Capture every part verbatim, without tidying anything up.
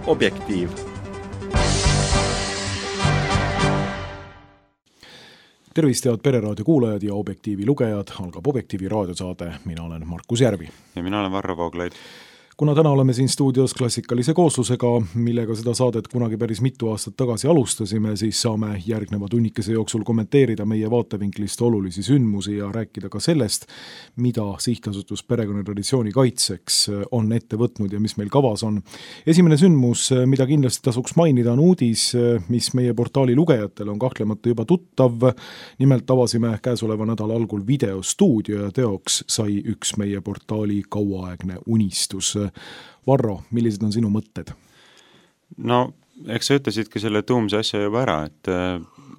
Objektiiv. Tervist, head Pereraadio kuulajad ja Objektiivi lugejad, algab Objektiivi raadiosaade, mina olen Markus Järvi. Ja mina olen Varro Vooglaid. Kuna täna oleme siin stuudios klassikalise kooslusega, millega seda saadet kunagi päris mitu aastat tagasi alustasime, siis saame järgneva tunnikese jooksul kommenteerida meie vaatevinklist olulisi sündmusi ja rääkida ka sellest, mida Sihtasutus Perekonnatraditsiooni kaitseks on ette võtnud ja mis meil kavas on. Esimene sündmus, mida kindlasti tasuks mainida, on uudis, mis meie portaali lugejatel on kahtlemata juba tuttav. Nimelt avasime käesoleva nädala algul videostuudio ja teoks sai üks meie portaali kauaaegne unistus. Varro, millised on sinu mõtted? No, eks sa ütlesidki selle tuumse asja juba ära, et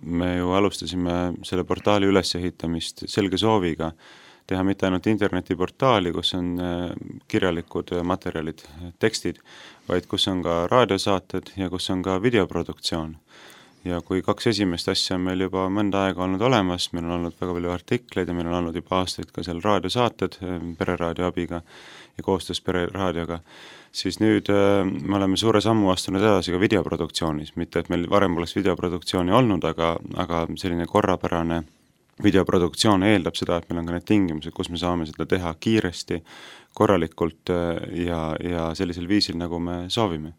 me ju alustasime selle portaali ülesehitamist selge sooviga teha mitte ainult internetiportaali, kus on kirjalikud materjalid, tekstid, vaid kus on ka raadiosaated ja kus on ka videoproduktsioon. Ja kui kaks esimest asja on meil juba mõnda aega olnud olemas, meil on olnud väga palju artikleid ja meil on olnud juba aastaid ka seal raadiosaated Pereraadio abiga ja koostöös Pereraadioga, siis nüüd me oleme suure sammu astunud edasi ka videoproduktsioonis. Mitte, et meil varem poleks videoproduktsiooni olnud, aga, aga selline korrapärane videoproduktsioon eeldab seda, et meil on ka need tingimused, kus me saame seda teha kiiresti, korralikult ja, ja sellisel viisil, nagu me soovime.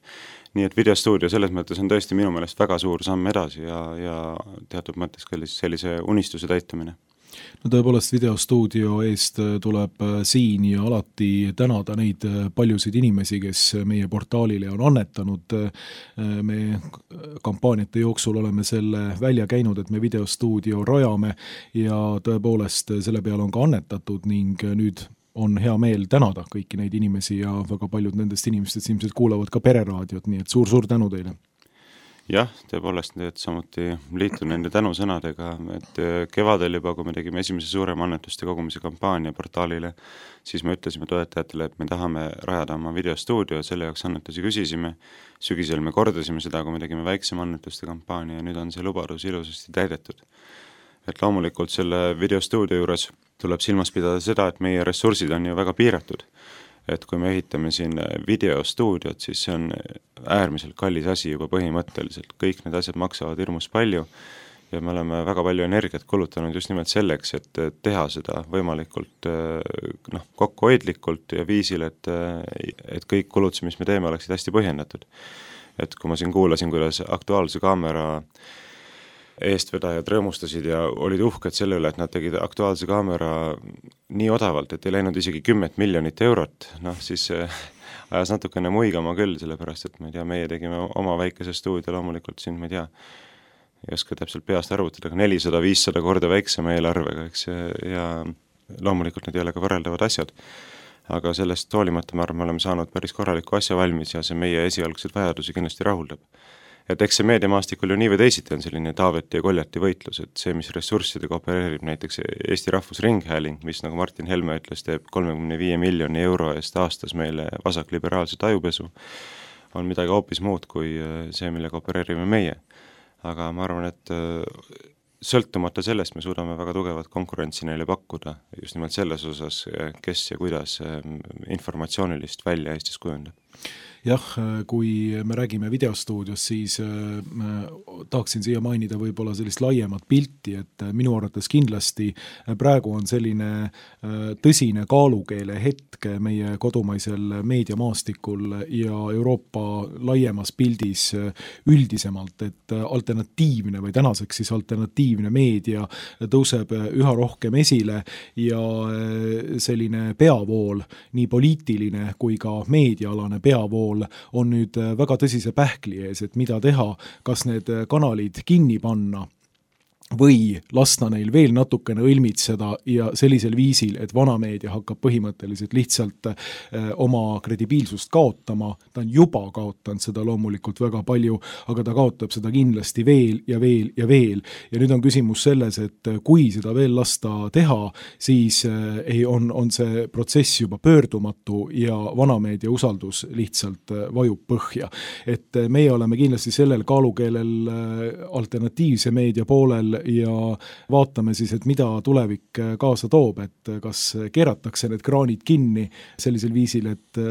Nii et videostuudio selles mõttes on tõesti minu meelest väga suur samm edasi ja, ja teatud mõttes sellise unistuse täitumine. No tõepoolest videostuudio eest tuleb siin ja alati tänada neid paljusid inimesi, kes meie portaalile on annetanud. Me kampaaniate jooksul oleme selle välja käinud, et me videostuudio rajame ja tõepoolest selle peale on ka annetatud ning nüüd on hea meel tänada kõiki neid inimesi ja väga paljud nendest inimestest ilmselt kuulavad ka Pereraadiot, nii et suur-suur tänu teile. Jah, tõepoolest, et samuti liitun nende tänusõnadega, et kevadel juba, kui me tegime esimese suurema annetuste kogumise kampaania portaalile, siis me ütlesime toetajatele, et me tahame rajada oma videostuudio, selle jaoks annetusi küsisime, sügisel me kordasime seda, kui me tegime väiksema annetuste kampaania ja nüüd on see lubadus ilusasti täidetud. Et loomulikult selle videostuudio juures tuleb silmas pidada seda, et meie ressursid on ju väga piiratud. Et kui me ehitame siin videostuudiot, siis see on äärmiselt kallis asi juba põhimõtteliselt. Kõik need asjad maksavad hirmus palju ja me oleme väga palju energiat kulutanud just nimelt selleks, et teha seda võimalikult noh, kokkuhoidlikult ja viisil, et, et kõik kulutused, mis me teeme, oleksid hästi põhjendatud. Et kui ma siin kuulasin, kuidas Aktuaalse kaamera eestvedajad rõõmustasid ja olid uhked selle üle, et nad tegid Aktuaalse kaamera nii odavalt, et ei läinud isegi kümmet miljonit eurot, noh siis ajas natukene muigama küll, sellepärast, et ma ei tea, meie tegime oma väikese stuudio loomulikult siin, ma ei tea, ei oska täpselt peast arvutada, aga nelisada viissada korda väiksema eelarvega, eks, ja loomulikult need ei ole ka võrreldavad asjad. Aga sellest hoolimata ma arvan, me oleme saanud päris korraliku asja valmis ja see meie esialgsed vajadusi kindlasti rahuldab. Et eks see meediamaastikul ju nii või teisiti on selline Taaveti ja Koljati võitlus, et see, mis ressurssidega opereerib näiteks Eesti Rahvusringhääling, mis nagu Martin Helme ütles, teeb kolmekümne viie miljoni euro eest aastas meile vasakliberaalse tajupesu, on midagi hoopis muud kui see, millega opereerime meie. Aga ma arvan, et sõltumata sellest me suudame väga tugevat konkurentsi neile pakkuda just nimelt selles osas, kes ja kuidas informatsioonilist välja Eestis kujundab. Jah, kui me räägime videostuudios, siis äh, tahaksin siia mainida võib-olla sellist laiemat pilti, et minu arvates kindlasti praegu on selline äh, tõsine kaalukeele hetk meie kodumaisel meediamaastikul ja Euroopa laiemas pildis üldisemalt, et alternatiivne või tänaseks siis alternatiivne meedia tõuseb üha rohkem esile ja selline peavool, nii poliitiline kui ka meediaalane peavool on nüüd väga tõsise pähkli ees, et mida teha, kas need kanalid kinni panna või lasta neil veel natukene õlmitseda ja sellisel viisil, et vanameedia hakkab põhimõtteliselt lihtsalt eh, oma kredibiilsust kaotama. Ta on juba kaotanud seda loomulikult väga palju, aga ta kaotab seda kindlasti veel ja veel ja veel. Ja nüüd on küsimus selles, et kui seda veel lasta teha, siis eh, on, on see protsess juba pöördumatu ja vanameedia usaldus lihtsalt vajub põhja. Et meie oleme kindlasti sellel kaalukeelel alternatiivse meedia poolel ja vaatame siis, et mida tulevik kaasa toob, et kas keeratakse need kraanid kinni sellisel viisil, et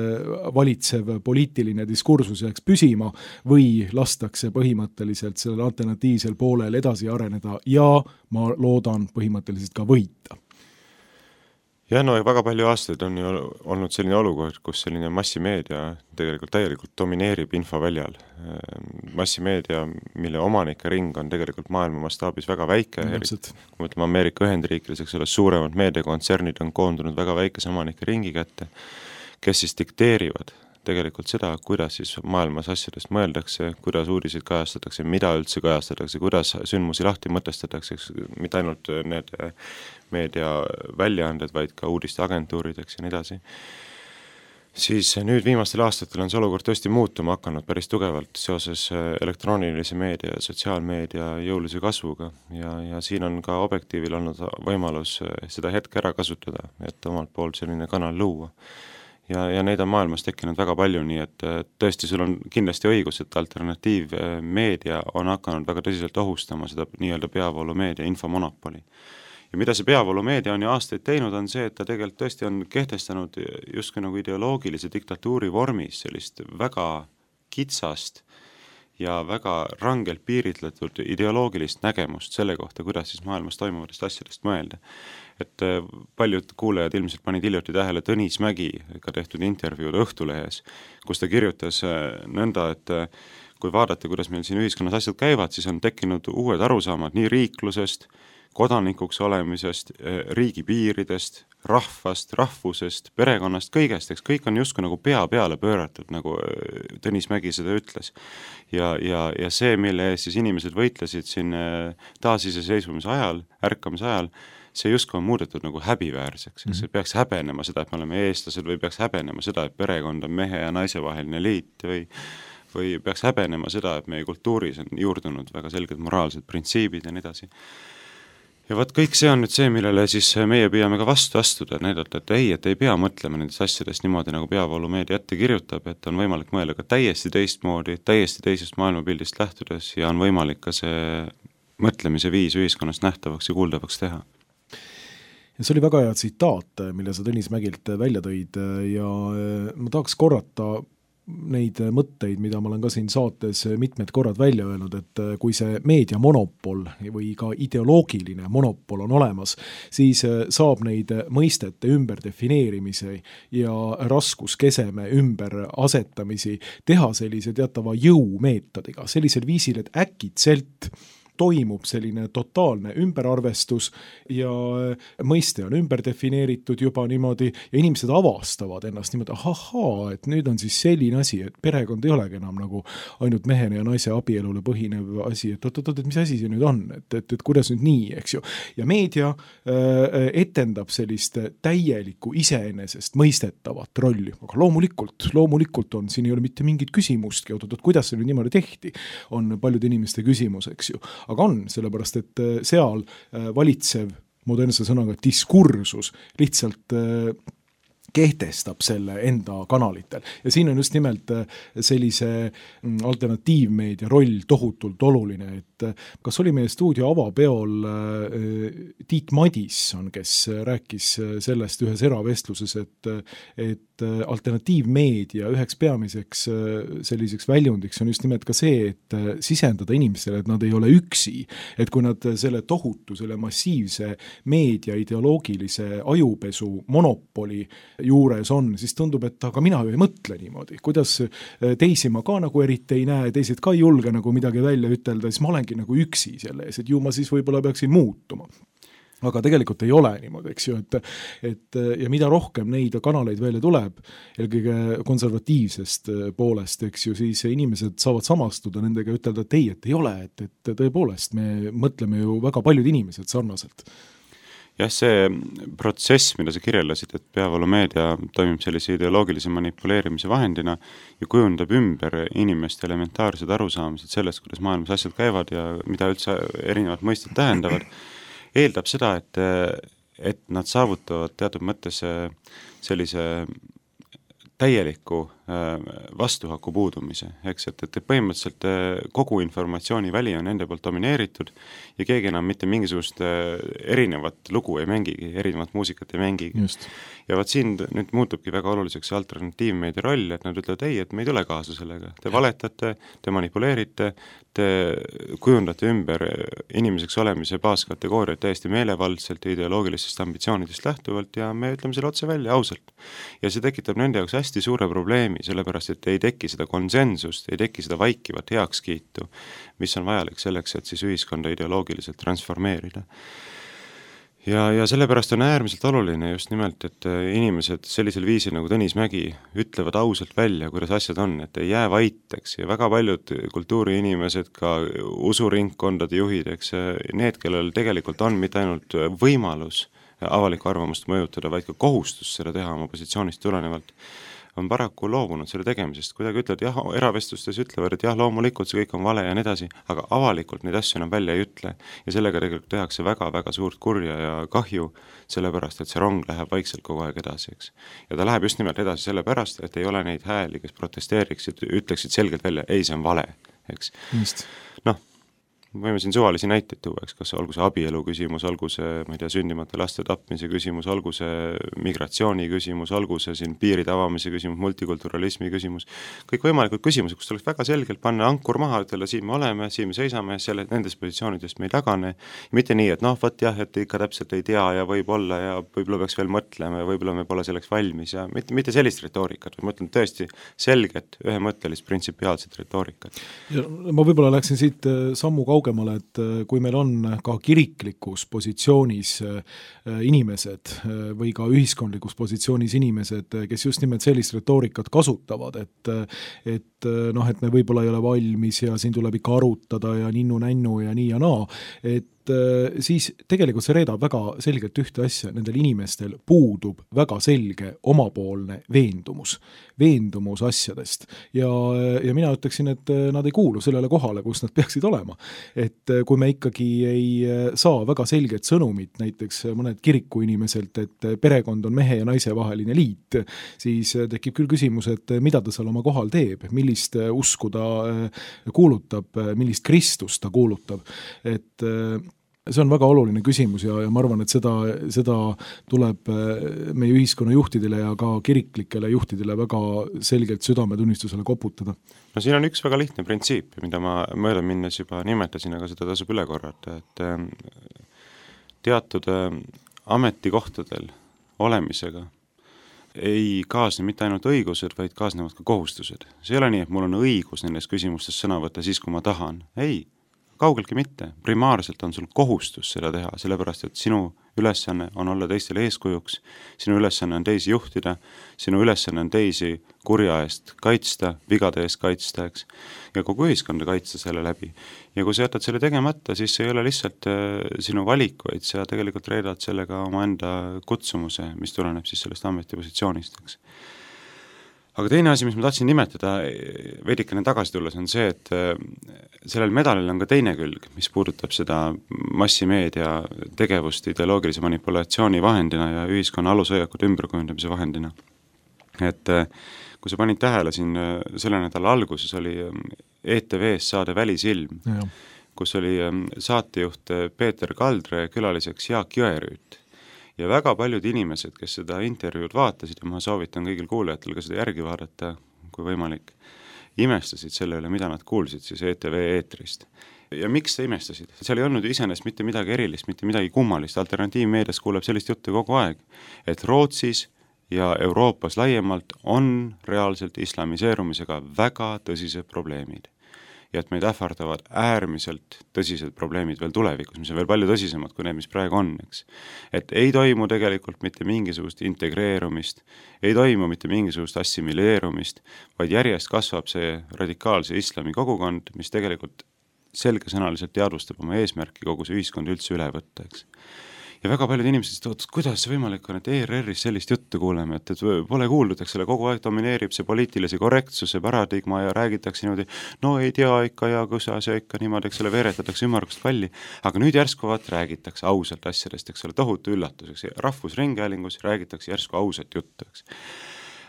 valitsev poliitiline diskursus jääks püsima või lastakse põhimõtteliselt sellel alternatiivsel poolel edasi areneda ja ma loodan põhimõtteliselt ka võita. Ja no väga palju aastaid on ju olnud selline olukord, kus selline massimeedia tegelikult täielikult domineerib infoväljal. Massimeedia, mille omanike ring on tegelikult maailma mastaabis väga väike, kui mõtleme Ameerika Ühendriikides, eks ole, suuremad meediakontsernid on koondunud väga väikese omanike ringi kätte, kes siis dikteerivad tegelikult seda, kuidas siis maailmas asjadest mõeldakse, kuidas uudiseid kajastatakse, mida üldse kajastatakse, kuidas sündmusi lahti mõtestatakse, mitte ainult need meedia väljaanded, vaid ka uudisteagentuurideks ja nii edasi. Siis nüüd viimastel aastatel on see olukord tõesti muutuma hakanud päris tugevalt seoses elektroonilise meedia ja sotsiaalmeedia jõulise kasvuga ja, ja siin on ka Objektiivil olnud võimalus seda hetke ära kasutada, et omalt poolt selline kanal luua. Ja, ja neid on maailmas tekkinud väga palju, nii et tõesti sul on kindlasti õigus, et alternatiivmeedia on hakanud väga tõsiselt ohustama seda nii-öelda peavoolumeedia infomonopoli. Ja mida see peavoolumeedia on ju aastaid teinud, on see, et ta tegelikult tõesti on kehtestanud justkui nagu ideoloogilise diktatuuri vormis sellist väga kitsast ja väga rangelt piiritletud ideoloogilist nägemust selle kohta, kuidas siis maailmas toimuvatest asjadest mõelda. Et paljud kuulajad ilmselt panid hiljuti tähele Tõnis Mägi ka tehtud intervjuud Õhtulehes, kus ta kirjutas nõnda, et kui vaadata, kuidas meil siin ühiskonnas asjad käivad, siis on tekkinud uued arusaamad nii riiklusest, kodanikuks olemisest, riigi piiridest, rahvast, rahvusest, perekonnast, kõigest, eks kõik on justkui nagu pea peale pööratud, nagu Tõnis Mägi seda ütles. Ja, ja, ja see, mille ees siis inimesed võitlesid siin taasiseseisvumise ajal, ärkamise ajal, see justkui on muudetud nagu häbiväärseks, eks mm-hmm. peaks häbenema seda, et me oleme eestlased või peaks häbenema seda, et perekond on mehe ja naise vaheline liit või, või peaks häbenema seda, et meie kultuuris on juurdunud väga selged moraalsed printsiibid ja nii edasi. Ja võt kõik see on nüüd see, millele siis meie püüame ka vastu astuda, näidata, et ei, et ei pea mõtlema nendest asjadest niimoodi, nagu peavoolumeedia ette kirjutab, et on võimalik mõelda ka täiesti teistmoodi, täiesti teisest maailmapildist lähtudes ja on võimalik ka see mõtlemise viis ühiskonnast nähtavaks ja kuuldavaks teha. Ja see oli väga hea tsitaat, mille sa Tõnis Mägilt välja tõid ja ma tahaks korrata neid mõtteid, mida ma olen ka siin saates mitmed korrad välja öelnud, et kui see meediamonopol või ka ideoloogiline monopol on olemas, siis saab neid mõistete ümberdefineerimise ja raskuskeseme ümberasetamise teha sellise teatava jõumeetodiga, sellisel viisil, et äkitselt toimub selline totaalne ümberarvestus ja mõiste on ümber defineeritud juba niimoodi ja inimesed avastavad ennast niimoodi, ahaa, et nüüd on siis selline asi, et perekond ei olegi enam nagu ainult mehene ja naise abielule põhinev asi, et oot, oot, et mis asi see nüüd on, et, et, et kuidas nüüd nii, eks ju. Ja meedia äh, etendab sellist täielikku iseenesest mõistetavat rolli, aga loomulikult, loomulikult on, siin ei ole mitte mingit küsimustki, oot, oot, kuidas see nüüd niimoodi tehti, on paljude inimeste küsimus, eks ju. Aga on, sellepärast, et seal valitsev modernse sõnaga diskursus lihtsalt kehtestab selle enda kanalitel. Ja siin on just nimelt sellise alternatiivmeedia roll tohutult oluline, et kas oli meie stuudio avapeol Tiit Madisson, kes rääkis sellest ühes eravestluses, et, et alternatiivmeedia üheks peamiseks selliseks väljundiks on just nimelt ka see, et sisendada inimestele, et nad ei ole üksi, et kui nad selle tohutu, selle massiivse meedia ideoloogilise ajupesu monopoli juures on, siis tundub, et aga mina ju ei mõtle niimoodi, kuidas teisi ma ka nagu eriti ei näe, teised ka ei julge nagu midagi välja ütelda, siis ma olengi nagu üksi selle ees, et ju ma siis võib-olla peaksin muutuma. Aga tegelikult ei ole niimoodi, eks ju, et, et ja mida rohkem neid kanaleid välja tuleb, eelkõige konservatiivsest poolest, eks ju, siis inimesed saavad samastuda nendega ja ütelda, et ei, et ei ole, et, et tõepoolest me mõtleme ju väga paljud inimesed sarnaselt. Jah, see protsess, mida sa kirjeldasid, et peavoolumeedia toimib sellise ideoloogilise manipuleerimise vahendina ja kujundab ümber inimeste elementaarsed arusaamised sellest, kuidas maailmas asjad käivad ja mida üldse erinevad mõisted tähendavad, eeldab seda, et, et nad saavutavad teatud mõttes sellise täieliku vastuhaku puudumise, eks, et, et põhimõtteliselt kogu informatsiooni väli on nende poolt domineeritud ja keegi enam mitte mingisugust erinevat lugu ei mängigi, erinevat muusikat ei mängigi. Just. Ja vaat siin nüüd muutubki väga oluliseks alternatiivmeedia roll, et nad ütlevad, ei, et me ei tule kaasa sellega, te valetate, te manipuleerite, te kujundate ümber inimeseks olemise baaskategooriat täiesti meelevaldselt ja ideoloogilistest ambitsioonidest lähtuvalt ja me ütleme selle otse välja ausalt. Ja see tekitab nende jaoks hästi suure probleemi, sellepärast et ei teki seda konsensust, ei teki seda vaikivat heakskiitu, mis on vajalik selleks, et siis ühiskonda ideoloogiliselt transformeerida. Ja, ja sellepärast on äärmiselt oluline just nimelt, et inimesed sellisel viisil nagu Tõnis Mägi ütlevad ausalt välja, kuidas asjad on, et ei jää vaiteks ja väga paljud kultuuriinimesed, ka usuringkondade juhid, eks, need, kellel tegelikult on mitte ainult võimalus avalikku arvamust mõjutada, vaid ka kohustus seda teha oma positsioonist tulenevalt, on paraku loobunud selle tegemisest, kuidagi ütlevad, jah, eravestlustes ütlevad, et jah, loomulikult see kõik on vale ja nii edasi, aga avalikult neid asju enam välja ei ütle ja sellega tegelikult tehakse väga-väga suurt kurja ja kahju, sellepärast, et see rong läheb vaikselt kogu aeg edasi, eks. Ja ta läheb just nimelt edasi sellepärast, et ei ole neid hääli, kes protesteeriksid, ütleksid selgelt välja, ei, see on vale, eks. Noh, võime siin suvalisi näiteid tuua, eks, kas olgu see abielu küsimus, olgu see, ma ei tea, sündimata laste tapmise küsimus, olgu see migratsiooni küsimus, olgu see siin piiride avamise küsimus, multikulturalismi küsimus, kõik võimalikud küsimused, kus tuleks väga selgelt panna ankur maha, ütelda, siin me oleme, siin me seisame, selle, nendes positsioonidest me ei tagane, mitte nii, et noh, võt jah, et ikka täpselt ei tea ja võib olla ja võib-olla peaks veel mõtlema ja võib-olla me pole selleks valmis ja mitte, mitte sellist retoorikat, või ma ütlen tõesti selget, ühemõttelist, printsipiaalset retoorikat. Ja ma võib-olla läksin siit sammu kaugemale, et kui meil on ka kiriklikus positsioonis inimesed või ka ühiskondlikus positsioonis inimesed, kes just nimelt sellist retoorikat kasutavad, et, et noh, et me võib-olla ei ole valmis ja siin tuleb ikka arutada ja ninnu-nännu ja nii ja naa, et siis tegelikult see reedab väga selgelt ühte asja, nendel inimestel puudub väga selge omapoolne veendumus, veendumus asjadest ja, ja mina ütleksin, et nad ei kuulu sellele kohale, kus nad peaksid olema. Et kui me ikkagi ei saa väga selget sõnumit, näiteks mõned kirikuinimeselt, et perekond on mehe ja naise vaheline liit, siis tekib küll küsimus, et mida ta seal oma kohal teeb, millist usku ta kuulutab, millist Kristust ta kuulutab, et see on väga oluline küsimus ja, ja ma arvan, et seda, seda tuleb meie ühiskonna juhtidele ja ka kiriklikele juhtidele väga selgelt südametunnistusele koputada. No siin on üks väga lihtne printsiip, mida ma mööda minnes juba nimetasin, aga seda tasub üle korrata, et teatud ametikohtadel olemisega ei kaasne mitte ainult õigused, vaid kaasnevad ka kohustused. See ei ole nii, et mul on õigus nendes küsimustes sõna võtta siis, kui ma tahan. Ei, kaugeltki mitte. Primaarselt on sul kohustus seda teha, sellepärast, et sinu ülesanne on olla teistele eeskujuks, sinu ülesanne on teisi juhtida, sinu ülesanne on teisi kurja eest kaitsta, vigade eest kaitsta, eks, ja kogu ühiskonda kaitsta selle läbi. Ja kui sa jätad selle tegemata, siis see ei ole lihtsalt sinu valik, vaid sa tegelikult reedad sellega oma enda kutsumuse, mis tuleneb siis sellest ametipositsioonist, eks. Aga teine asi, mis ma tahtsin nimetada veidikene tagasi tulles, on see, et sellel medalil on ka teine külg, mis puudutab seda massimeedia tegevust ideoloogilise manipulatsiooni vahendina ja ühiskonna alushoiakute ümberkujundamise vahendina. Et kui sa panid tähele siin selle nädala alguses oli E T V-s saade Välisilm, ja. Kus oli saatejuht Peeter Kaldre külaliseks Jaak Jõerüüt. Ja väga paljud inimesed, kes seda intervjuud vaatasid, ja ma soovitan kõigil kuulajatel ka seda järgi vaadata, kui võimalik, imestasid selle üle, mida nad kuulsid siis E T V eetrist. Ja miks sa imestasid? Seal ei olnud iseenesest mitte midagi erilist, mitte midagi kummalist. Alternatiivmeedias kuuleb sellist juttu kogu aeg, et Rootsis ja Euroopas laiemalt on reaalselt islamiseerumisega väga tõsised probleemid. Ja et meid ähvardavad äärmiselt tõsised probleemid veel tulevikus, mis on veel palju tõsisemad kui need, mis praegu on, eks. Et ei toimu tegelikult mitte mingisugust integreerumist, ei toimu mitte mingisugust assimileerumist, vaid järjest kasvab see radikaalse islami kogukond, mis tegelikult selgesõnaliselt teadvustab oma eesmärki kogu see ühiskond üldse üle võtta, eks. Ja väga paljud inimesed ütlevad, et kuidas see võimalik on, et E R R-is sellist juttu kuuleme, et, et pole kuuldud, eks selle kogu aeg domineerib see poliitilise korrektsuse paradigma ja räägitakse niimoodi, no ei tea ikka ja kusa see ikka niimoodi, eks selle veeretatakse ümmargust palli, aga nüüd järsku vaat räägitakse ausalt asjadest, eks ole, tohutu üllatuseks. Rahvusringhäälingus räägitakse järsku ausat juttu, eks.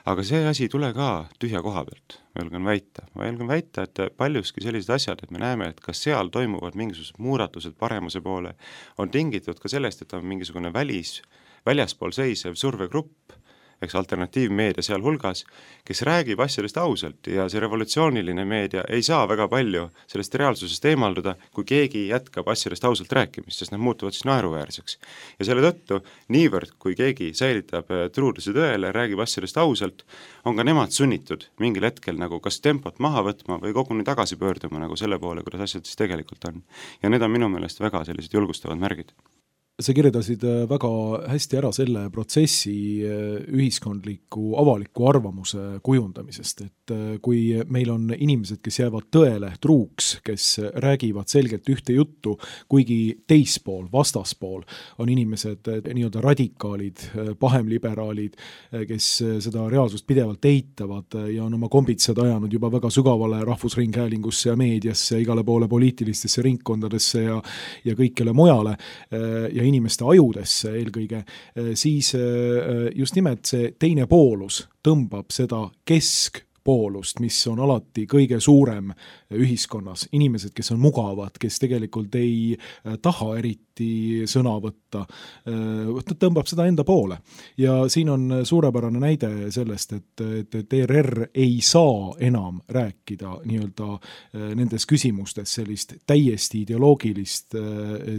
aga see asi ei tule ka tühja koha pealt, ma julgen väita. Ma julgen väita, et paljuski sellised asjad, et me näeme, et kas seal toimuvad mingisugused muudatused paremuse poole, on tingitud ka sellest, et on mingisugune välis, väljaspool seisev survegrupp, eks alternatiivmeedia seal hulgas, kes räägib asjadest ausalt ja see revolutsiooniline meedia ei saa väga palju sellest reaalsusest eemalduda, kui keegi jätkab asjadest ausalt rääkimist, sest nad muutuvad siis naeruväärseks. Ja selle tõttu, niivõrd kui keegi säilitab truuduse tõele, räägib asjadest ausalt, on ka nemad sunnitud mingil hetkel nagu kas tempot maha võtma või koguni tagasi pöörduma nagu selle poole, kuidas asjad siis tegelikult on. Ja need on minu meelest väga sellised julgustavad märgid. Sa kirjeldasid väga hästi ära selle protsessi ühiskondliku avaliku arvamuse kujundamisest, et kui meil on inimesed, kes jäävad tõele truuks, kes räägivad selgelt ühte juttu, kuigi teispool, vastaspool on inimesed nii-öelda radikaalid, pahemliberaalid, kes seda reaalsust pidevalt eitavad ja on oma kombitsad ajanud juba väga sügavale rahvusringhäälingusse ja meediasse, igale poole poliitilistesse ringkondadesse ja, ja kõikjale mujale ja inimeste ajudesse eelkõige, siis just nimelt see teine poolus tõmbab seda keskpoolust, mis on alati kõige suurem ühiskonnas. Inimesed, kes on mugavad, kes tegelikult ei taha eriti sõna võtta, tõmbab seda enda poole. Ja siin on suurepärane näide sellest, et, et, et E R R ei saa enam rääkida nii-öelda nendes küsimustes sellist täiesti ideoloogilist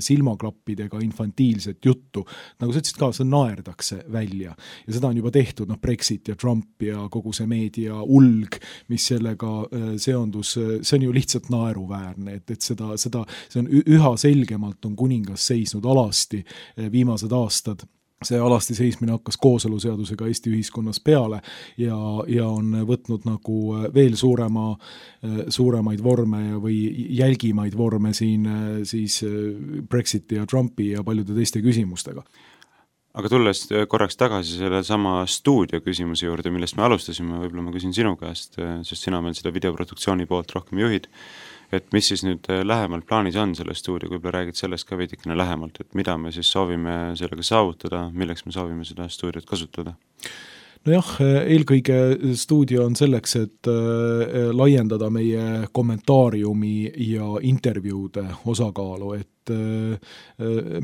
silmaklappidega infantiilset juttu. Nagu sa ütlesid ka, see naerdakse välja. Ja seda on juba tehtud, noh, Brexit ja Trump ja kogu see meedia ulg, mis sellega seondus, see on ju lihtsalt naeruväärne, et, et seda, seda, see on üha selgemalt on kuningas seisnud alasti viimased aastad. See alasti seismine hakkas kooseluseadusega Eesti ühiskonnas peale ja, ja on võtnud nagu veel suurema, suuremaid vorme või jälgimaid vorme siin siis Brexiti ja Trumpi ja paljude teiste küsimustega. Aga tulles korraks tagasi selle sama stuudio küsimuse juurde, millest me alustasime, võib-olla ma küsin sinu käest, sest sina meil seda videoproduktsiooni poolt rohkem juhid, et mis siis nüüd lähemalt plaanis on selle stuudio, kui räägid sellest ka veidikene lähemalt, et mida me siis soovime sellega saavutada, milleks me soovime seda stuudiot kasutada? Nojah, eelkõige stuudio on selleks, et laiendada meie kommentaariumi ja intervjuude osakaalu, et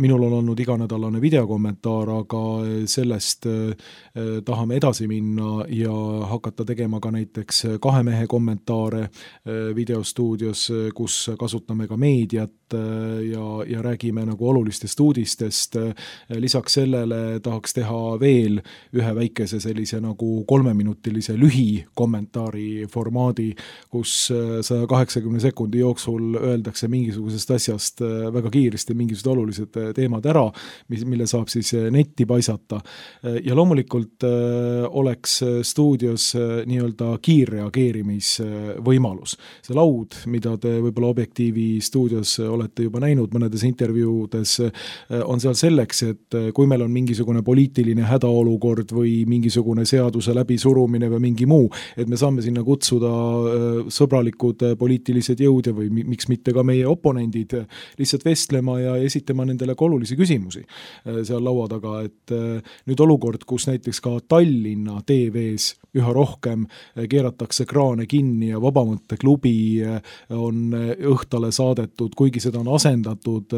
minul on olnud iganädalane videokommentaar, aga sellest tahame edasi minna ja hakata tegema ka näiteks kahe mehe kommentaare videostuudios, kus kasutame ka meediat ja, ja räägime nagu olulistest uudistest. Lisaks sellele tahaks teha veel ühe väikese sellise nagu kolmeminutilise lühi kommentaari formaadi, kus saja kaheksakümne sekundi jooksul öeldakse mingisugusest asjast väga kiiresti mingisugused olulised teemad ära, mille saab siis netti paisata. Ja loomulikult oleks stuudios nii-öelda kiirreageerimisvõimalus. See laud, mida te võib-olla Objektiivi stuudios olete juba näinud mõnedes intervjuudes, on seal selleks, et kui meil on mingisugune poliitiline hädaolukord või mingisugune seaduse läbisurumine või mingi muu, et me saame sinna kutsuda sõbralikud poliitilised jõud ja või miks mitte ka meie oponendid lihtsalt vestlema ja esitama nendele ka olulisi küsimusi seal laua taga, et nüüd olukord, kus näiteks ka Tallinna T V-s üha rohkem keeratakse kraane kinni ja Vabamõtteklubi on õhtale saadetud, kuigi seda on asendatud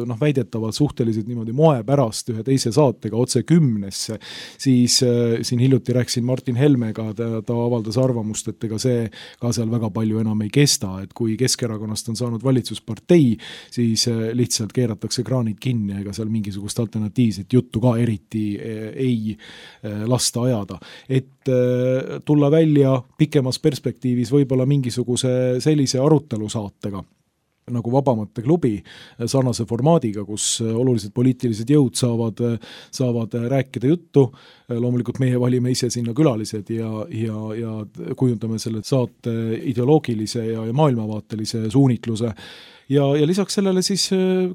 noh, väidetavalt suhteliselt niimoodi moe pärast ühe teise saatega otse kümnesse, siis siin hiljuti rääkisin Martin Helmega, ta, ta avaldas arvamust, et ega see ka seal väga palju enam ei kesta, et kui Keskerakonnast on saanud valitsuspartei, siis lihtsalt keeratakse kraanid kinni, ega seal mingisugust alternatiivset juttu ka eriti ei lasta ajada. Et tulla välja pikemas perspektiivis võib-olla mingisuguse sellise arutelusaatega, nagu Vabamõtteklubi sarnase formaadiga, kus olulised poliitilised jõud saavad, saavad rääkida juttu. Loomulikult meie valime ise sinna külalised ja, ja, ja kujundame selle saate ideoloogilise ja maailmavaatelise suunitluse. ja, ja lisaks sellele siis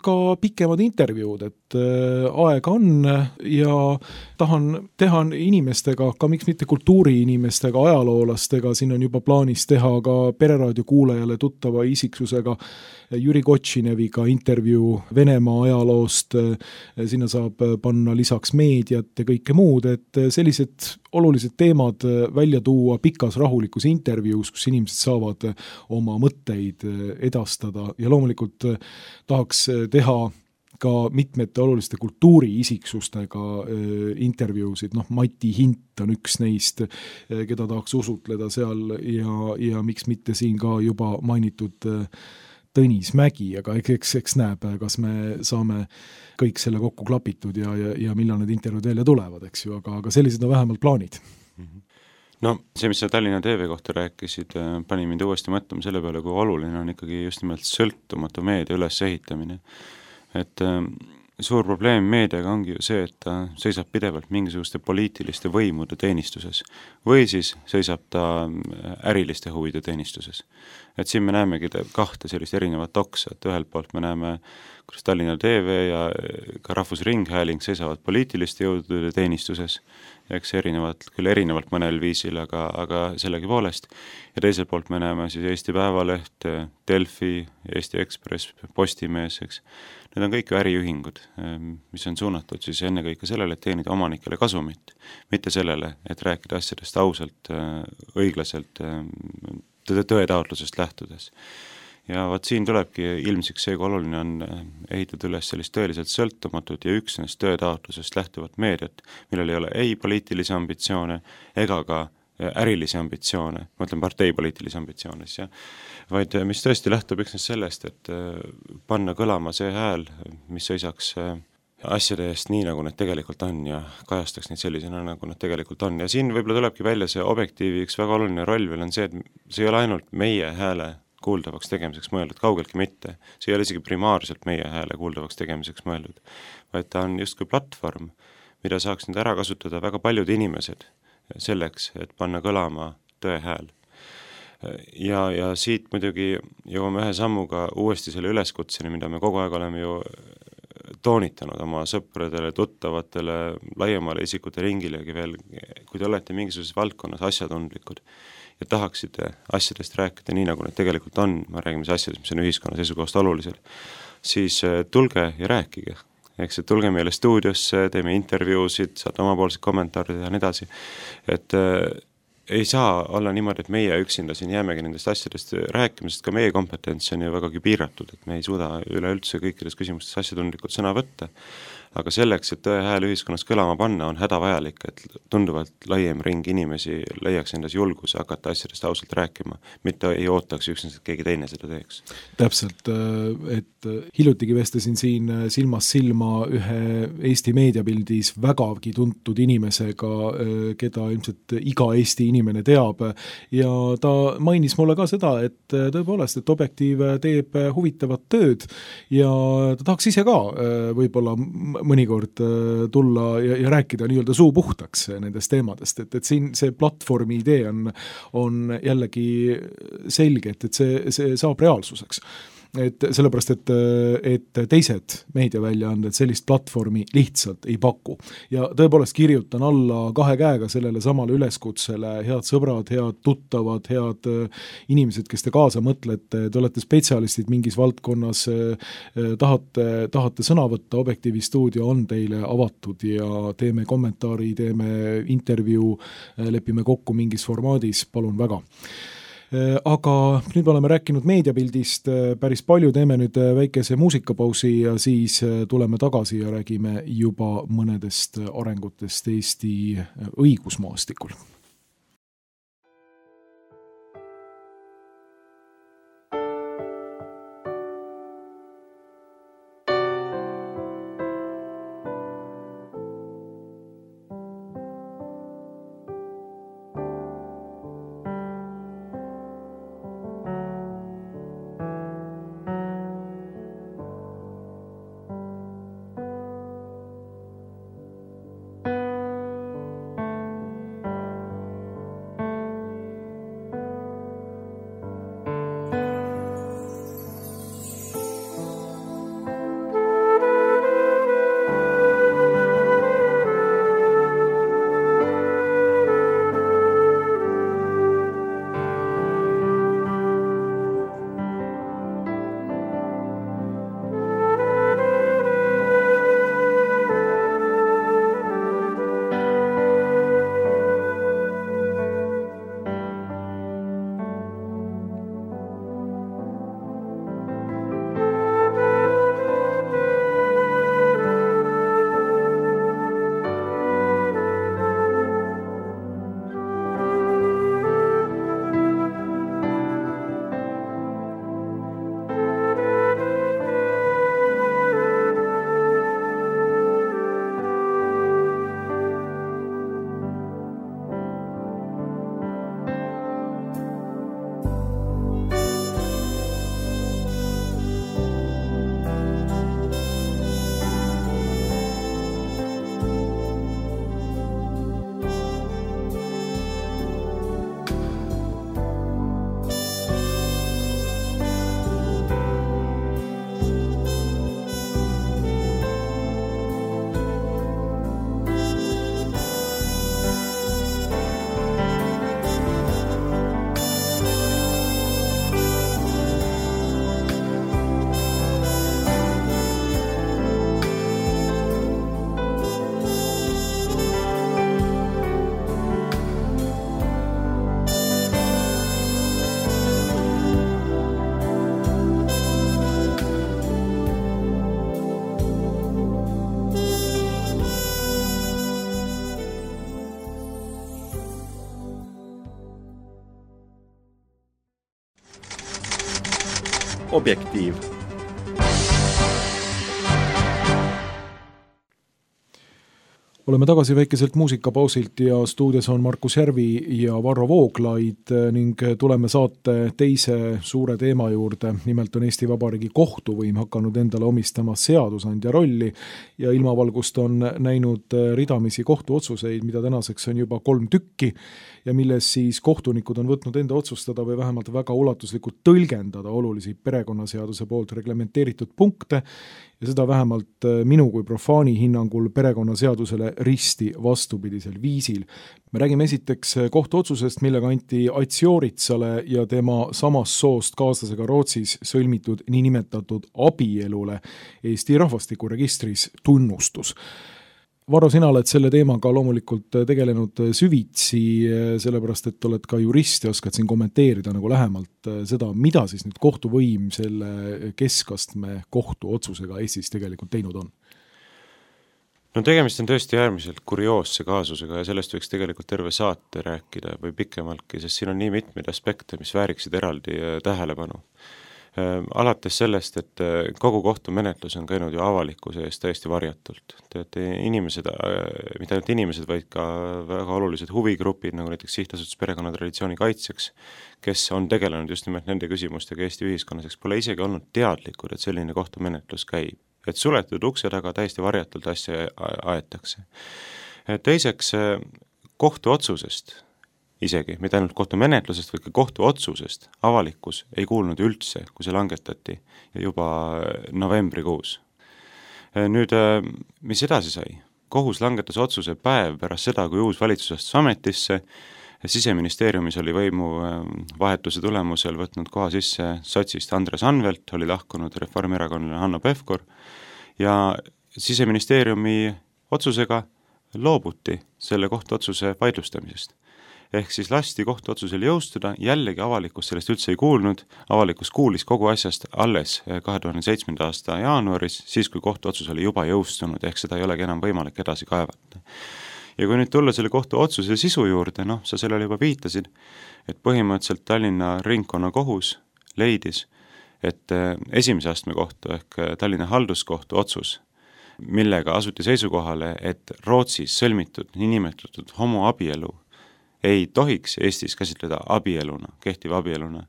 ka pikemad intervjuud, et aega on ja tahan teha inimestega, ka miks mitte kultuuriinimestega, ajaloolastega, siin on juba plaanis teha ka Pereraadio kuulajale tuttava isiksusega Jüri Kotšineviga intervjuu Venemaa ajaloost, sinna saab panna lisaks meediat ja kõike muud, et sellised olulised teemad välja tuua pikas rahulikus intervjuus, kus inimesed saavad oma mõtteid edastada ja loomulikult tahaks teha ka mitmete oluliste kultuuriisiksustega intervjuusid, noh Mati Hint on üks neist, keda tahaks usutleda seal ja, ja miks mitte siin ka juba mainitud Tõnis Mägi, aga eks, eks näeb, kas me saame kõik selle kokku klapitud ja, ja, ja millal need intervjuud välja tulevad, eks ju, aga, aga sellised on vähemalt plaanid. No see, mis sa Tallinna T V kohta rääkisid, pani mind uuesti mõtlema selle peale, kui oluline on ikkagi just nimelt sõltumatu meedia ülesehitamine. Et äh, suur probleem meediaga ongi ju see, et ta seisab pidevalt mingisuguste poliitiliste võimude teenistuses või siis seisab ta äriliste huvide teenistuses. Et siin me näemegi kahte sellist erinevat oksa, et ühelt poolt me näeme, kuidas Tallinna T V ja ka Rahvusringhääling seisavad poliitiliste jõudude teenistuses, eks erinevat, küll erinevalt mõnel viisil, aga, aga sellegi poolest. Ja teiselt poolt me näeme siis Eesti Päevaleht, Delfi, Eesti Ekspress, Postimees, eks. Need on kõik ju äriühingud, mis on suunatud siis ennekõike sellele, et teenida omanikele kasumit, mitte sellele, et rääkida asjadest ausalt, õiglaselt, tõetaotlusest lähtudes. Ja vaat siin tulebki ilmsiks see, kui oluline on ehitada üles sellist tõeliselt sõltumatut ja üksnes tõetaotlusest lähtuvat meediat, millel ei ole ei poliitilisi ambitsioone ega ka ärilisi ambitsioone, ma ütlen parteipoliitilisi ambitsioone, ja, vaid mis tõesti lähtub üksnes sellest, et panna kõlama see hääl, mis seisaks asjade eest nii, nagu need tegelikult on ja kajastaks neid sellisena, nagu nad tegelikult on. Ja siin võib-olla tulebki välja see objektiivi üks väga oluline roll veel on see, et see ei ole ainult meie hääle kuuldavaks tegemiseks mõeldud, kaugeltki mitte. See ei ole isegi primaarselt meie hääle kuuldavaks tegemiseks mõeldud, vaid ta on justkui platvorm, mida saaks nüüd ära kasutada väga paljud inimesed selleks, et panna kõlama tõe hääl. Ja, ja siit muidugi jõuame ühe sammuga uuesti selle üleskutseni, mida me kogu aeg oleme ju toonitanud oma sõpradele, tuttavatele, laiemale isikute ringilegi veel, kui te olete mingisuguses valdkonnas asjatundlikud ja tahaksite asjadest rääkida nii, nagu need tegelikult on, ma räägime siis asjadest, mis on ühiskonna seisukohast olulised, siis tulge ja rääkige. Eks, et tulge meile stuudiosse, teeme intervjuusid, saate omapoolsed kommentaarid ja nii edasi, et äh, ei saa olla niimoodi, et meie üksinda siin jäämegi nendest asjadest rääkima, sest ka meie kompetents on ju vägagi piiratud, et me ei suuda üleüldse kõikides küsimustes asjatundlikult sõna võtta, aga selleks, et tõe hääl ühiskonnas kõlama panna, on hädavajalik, et tunduvalt laiem ring inimesi leiaks endas julguse hakata asjadest ausalt rääkima, mitte ei ootaks üksnes, et keegi teine seda teeks. Täpselt, et hiljutigi vestasin siin silmas silma ühe Eesti meediapildis vägagi tuntud inimesega, keda ilmselt iga Eesti inimene teab ja ta mainis mulle ka seda, et tõepoolest, et Objektiiv teeb huvitavat tööd ja ta tahaks ise ka võib-olla mõnikord tulla ja, ja rääkida nii-öelda suu puhtaks nendest teemadest, et, et siin see platvormi idee on, on jällegi selge, et, et see, see saab reaalsuseks. Et sellepärast, et, et teised meediaväljaanded sellist platvormi lihtsalt ei paku. Ja tõepoolest kirjutan alla kahe käega sellele samale üleskutsele, head sõbrad, head tuttavad, head inimesed, kes te kaasa mõtlete, te olete spetsialistid mingis valdkonnas, tahate, tahate sõna võtta, Objektiivi stuudio on teile avatud ja teeme kommentaari, teeme intervjuu, lepime kokku mingis formaadis, palun väga. Aga nüüd me oleme rääkinud meediapildist päris palju, teeme nüüd väikese muusikapausi ja siis tuleme tagasi ja räägime juba mõnedest arengutest Eesti õigusmaastikul. Objektiiv. Oleme tagasi väikeselt muusikapausilt ja stuudios on Markus Järvi ja Varro Vooglaid ning tuleme saate teise suure teema juurde. Nimelt on Eesti Vabariigi kohtuvõim hakanud endale omistama seadusandja rolli ja ilmavalgust on näinud ridamisi kohtuotsuseid, mida tänaseks on juba kolm tükki ja milles siis kohtunikud on võtnud enda otsustada või vähemalt väga ulatuslikult tõlgendada olulisi perekonnaseaduse poolt reglementeeritud punkte ja seda vähemalt minu kui profaani hinnangul perekonnaseadusele risti vastupidisel viisil. Me räägime esiteks kohtuotsusest, millega anti Ats Jooritsale ja tema samast soost kaaslasega Rootsis sõlmitud niinimetatud abielule Eesti rahvastikuregistris tunnustus. Varro, sina oled selle teemaga loomulikult tegelenud süvitsi, sellepärast et oled ka jurist ja oskad siin kommenteerida nagu lähemalt seda, mida siis nüüd kohtuvõim selle keskastme kohtuotsusega Eestis tegelikult teinud on. No tegemist on tõesti äärmiselt kurioosse kaasusega ja sellest võiks tegelikult terve saate rääkida või pikemaltki, sest siin on nii mitmeid aspekte, mis vääriksid eraldi tähelepanu. Alates sellest, et kogu kohtumenetlus on käinud ju avalikkuse eest täiesti varjatult. Teate, inimesed, mitte ainult inimesed, vaid ka väga olulised huvigrupid, nagu näiteks Sihtasutus perekonnatraditsiooni kaitseks, kes on tegelenud just nimelt nende küsimustega Eesti ühiskonnas, pole isegi olnud teadlikud, et selline kohtumenetlus käib. Et suletud ukse taga täiesti varjatult asja aetakse. Teiseks, kohtuotsusest isegi, mitte ainult kohtumenetlusest, või ka kohtuotsusest avalikkus ei kuulnud üldse, kui see langetati juba novembrikuus. Nüüd, mis edasi sai? Kohus langetas otsuse päev pärast seda, kui uus valitsus astus ametisse, Siseministeeriumis oli võimu vahetuse tulemusel võtnud koha sisse sotsist Andres Anvelt, oli lahkunud reformierakonnale Hanno Pevkur ja Siseministeeriumi otsusega loobuti selle kohtuotsuse vaidlustamisest. Ehk siis lasti kohtuotsusel jõustuda, jällegi avalikkus sellest üldse ei kuulnud, avalikkus kuulis kogu asjast alles kahe tuhande seitsmenda aasta jaanuaris, siis kui kohtuotsus oli juba jõustunud, ehk seda ei olegi enam võimalik edasi kaevata. Ja kui nüüd tulla selle kohtuotsuse sisu juurde, noh, sa sellele juba viitasid, et põhimõtteliselt Tallinna ringkonnakohus leidis, et esimese astme kohtu ehk Tallinna halduskohtu otsus, millega asuti seisukohale, et Rootsis sõlmitud niinimetatud homoabielu ei tohiks Eestis käsitleda abieluna, kehtiva abieluna,